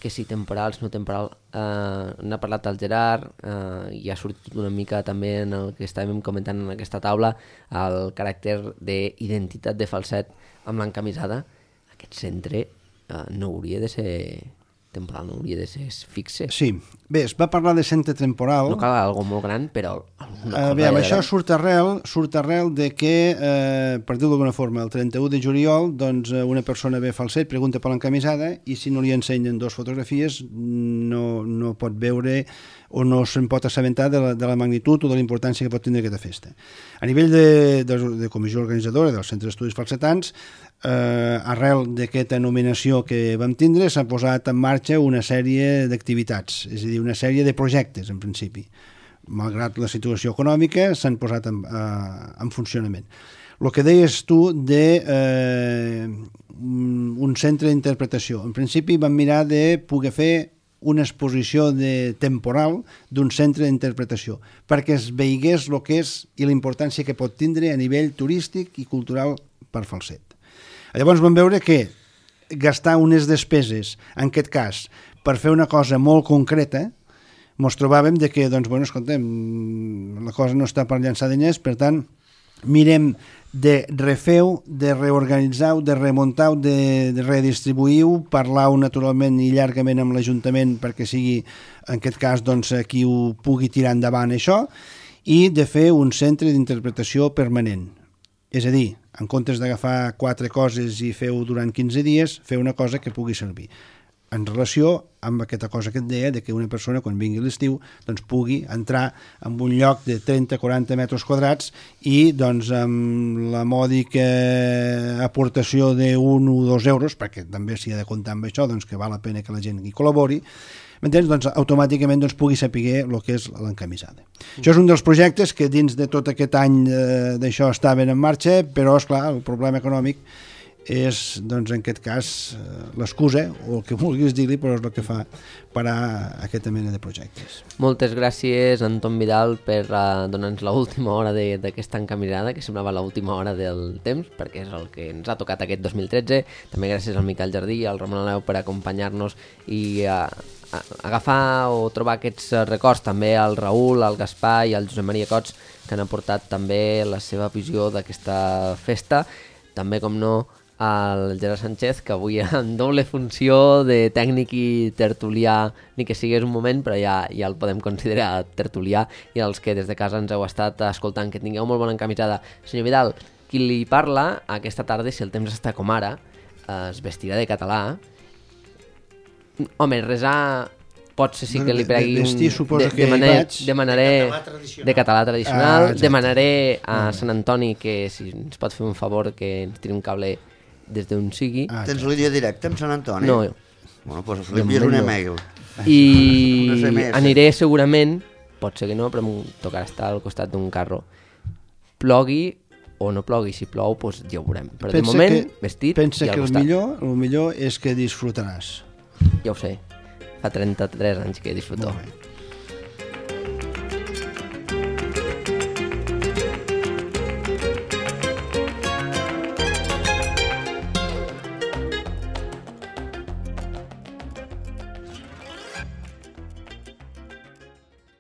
que si temporals, no temporal, eh, n'ha parlat el Gerard, eh, i ha sortit una mica també en el que estàvem comentant en aquesta taula, el caràcter d'identitat de falset amb l'encamisada. Aquest centre eh, no hauria de ser temporal, no hauria de ser fixe. Sí, bé, es va parlar de centre temporal. No cal algo molt gran, però alguna cosa... Uh, bé, de això gran. surt arrel, surt arrel de que, eh, per dir-ho d'alguna forma, el trenta-u de juliol, doncs, una persona ve falset, pregunta per l'encamisada, i si no li ensenyen dues fotografies, no, no pot veure o no se'n pot assabentar de la, de la magnitud o de la importància que pot tenir aquesta festa. A nivell de, de, de comissió organitzadora del Centre d'Estudis Falsetans, eh, arrel d'aquesta nominació que vam tindre, s'ha posat en marxa una sèrie d'activitats, és a dir, una sèrie de projectes, en principi. Malgrat la situació econòmica, s'han posat en, eh, en funcionament. El que deies tu de eh, un centre d'interpretació. En principi vam mirar de poder fer una exposició de temporal d'un centre d'interpretació, perquè es veigués el que és i la importància que pot tindre a nivell turístic i cultural per Falset. Llavors vam veure que gastar unes despeses, en aquest cas, per fer una cosa molt concreta, ens trobàvem de que, doncs, bueno, escoltem, la cosa no està per llançar diners, per tant, mirem de refer-ho, de reorganitzar-ho, de remuntar-ho, de, de redistribuir-ho, parlar-ho naturalment i llargament amb l'Ajuntament perquè sigui, en aquest cas, doncs, qui ho pugui tirar endavant això, i de fer un centre d'interpretació permanent. És a dir, en comptes d'agafar quatre coses i fer-ho durant quinze dies, fer una cosa que pugui servir. En relació amb aquesta cosa que et deia, de que una persona, quan vingui l'estiu, doncs pugui entrar en un lloc de trenta a quaranta metres quadrats i, doncs, amb la mòdica aportació d'un o dos euros, perquè també s'hi ha de comptar amb això, doncs que val la pena que la gent hi col·labori, m'entens? Doncs automàticament doncs, pugui saber el que és l'encamisada. Mm. Això és un dels projectes que dins de tot aquest any eh, d'això estaven en marxa, però, esclar, el problema econòmic és, doncs, en aquest cas, l'excusa, o el que vulguis dir-li, però és el que fa parar aquesta mena de projectes. Moltes gràcies, Anton Vidal, per uh, donar-nos l'última hora d'aquesta encamisada, que semblava l'última hora del temps, perquè és el que ens ha tocat aquest dos mil tretze. També gràcies al Miquel Jardí i al Ramon Aleu per acompanyar-nos i uh, agafar o trobar aquests records, també al Raül, al Gaspar i al Josep Maria Cots, que han aportat també la seva visió d'aquesta festa. també, com no, al Gerard Sánchez, que avui en doble funció de tècnic i tertulià, ni que sigués un moment, però ja, ja el podem considerar tertulià, i els que des de casa ens heu estat escoltant, que tingueu molt bona encamisada. Senyor Vidal, qui li parla aquesta tarda, si el temps està com ara, es vestirà de català. Home, resar potser sí que li pregui un... Vestir, suposo que demanar, vaig... Demanaré de català tradicional, ah, demanaré a Sant Antoni que si ens pot fer un favor que ens tiri un cable des d'on sigui. Ah, tens línia directa amb Sant Antoni? No. Bueno, doncs li envies un email. I aniré segurament, pot ser que no, però em tocarà estar al costat d'un carro. Plogui o no plogui, si plou, doncs ja ho veurem. Però pensa de moment, que, vestit pensa i al que costat. El millor, el millor és que disfrutaràs. Ja ho sé, fa trenta-tres anys que disfruto.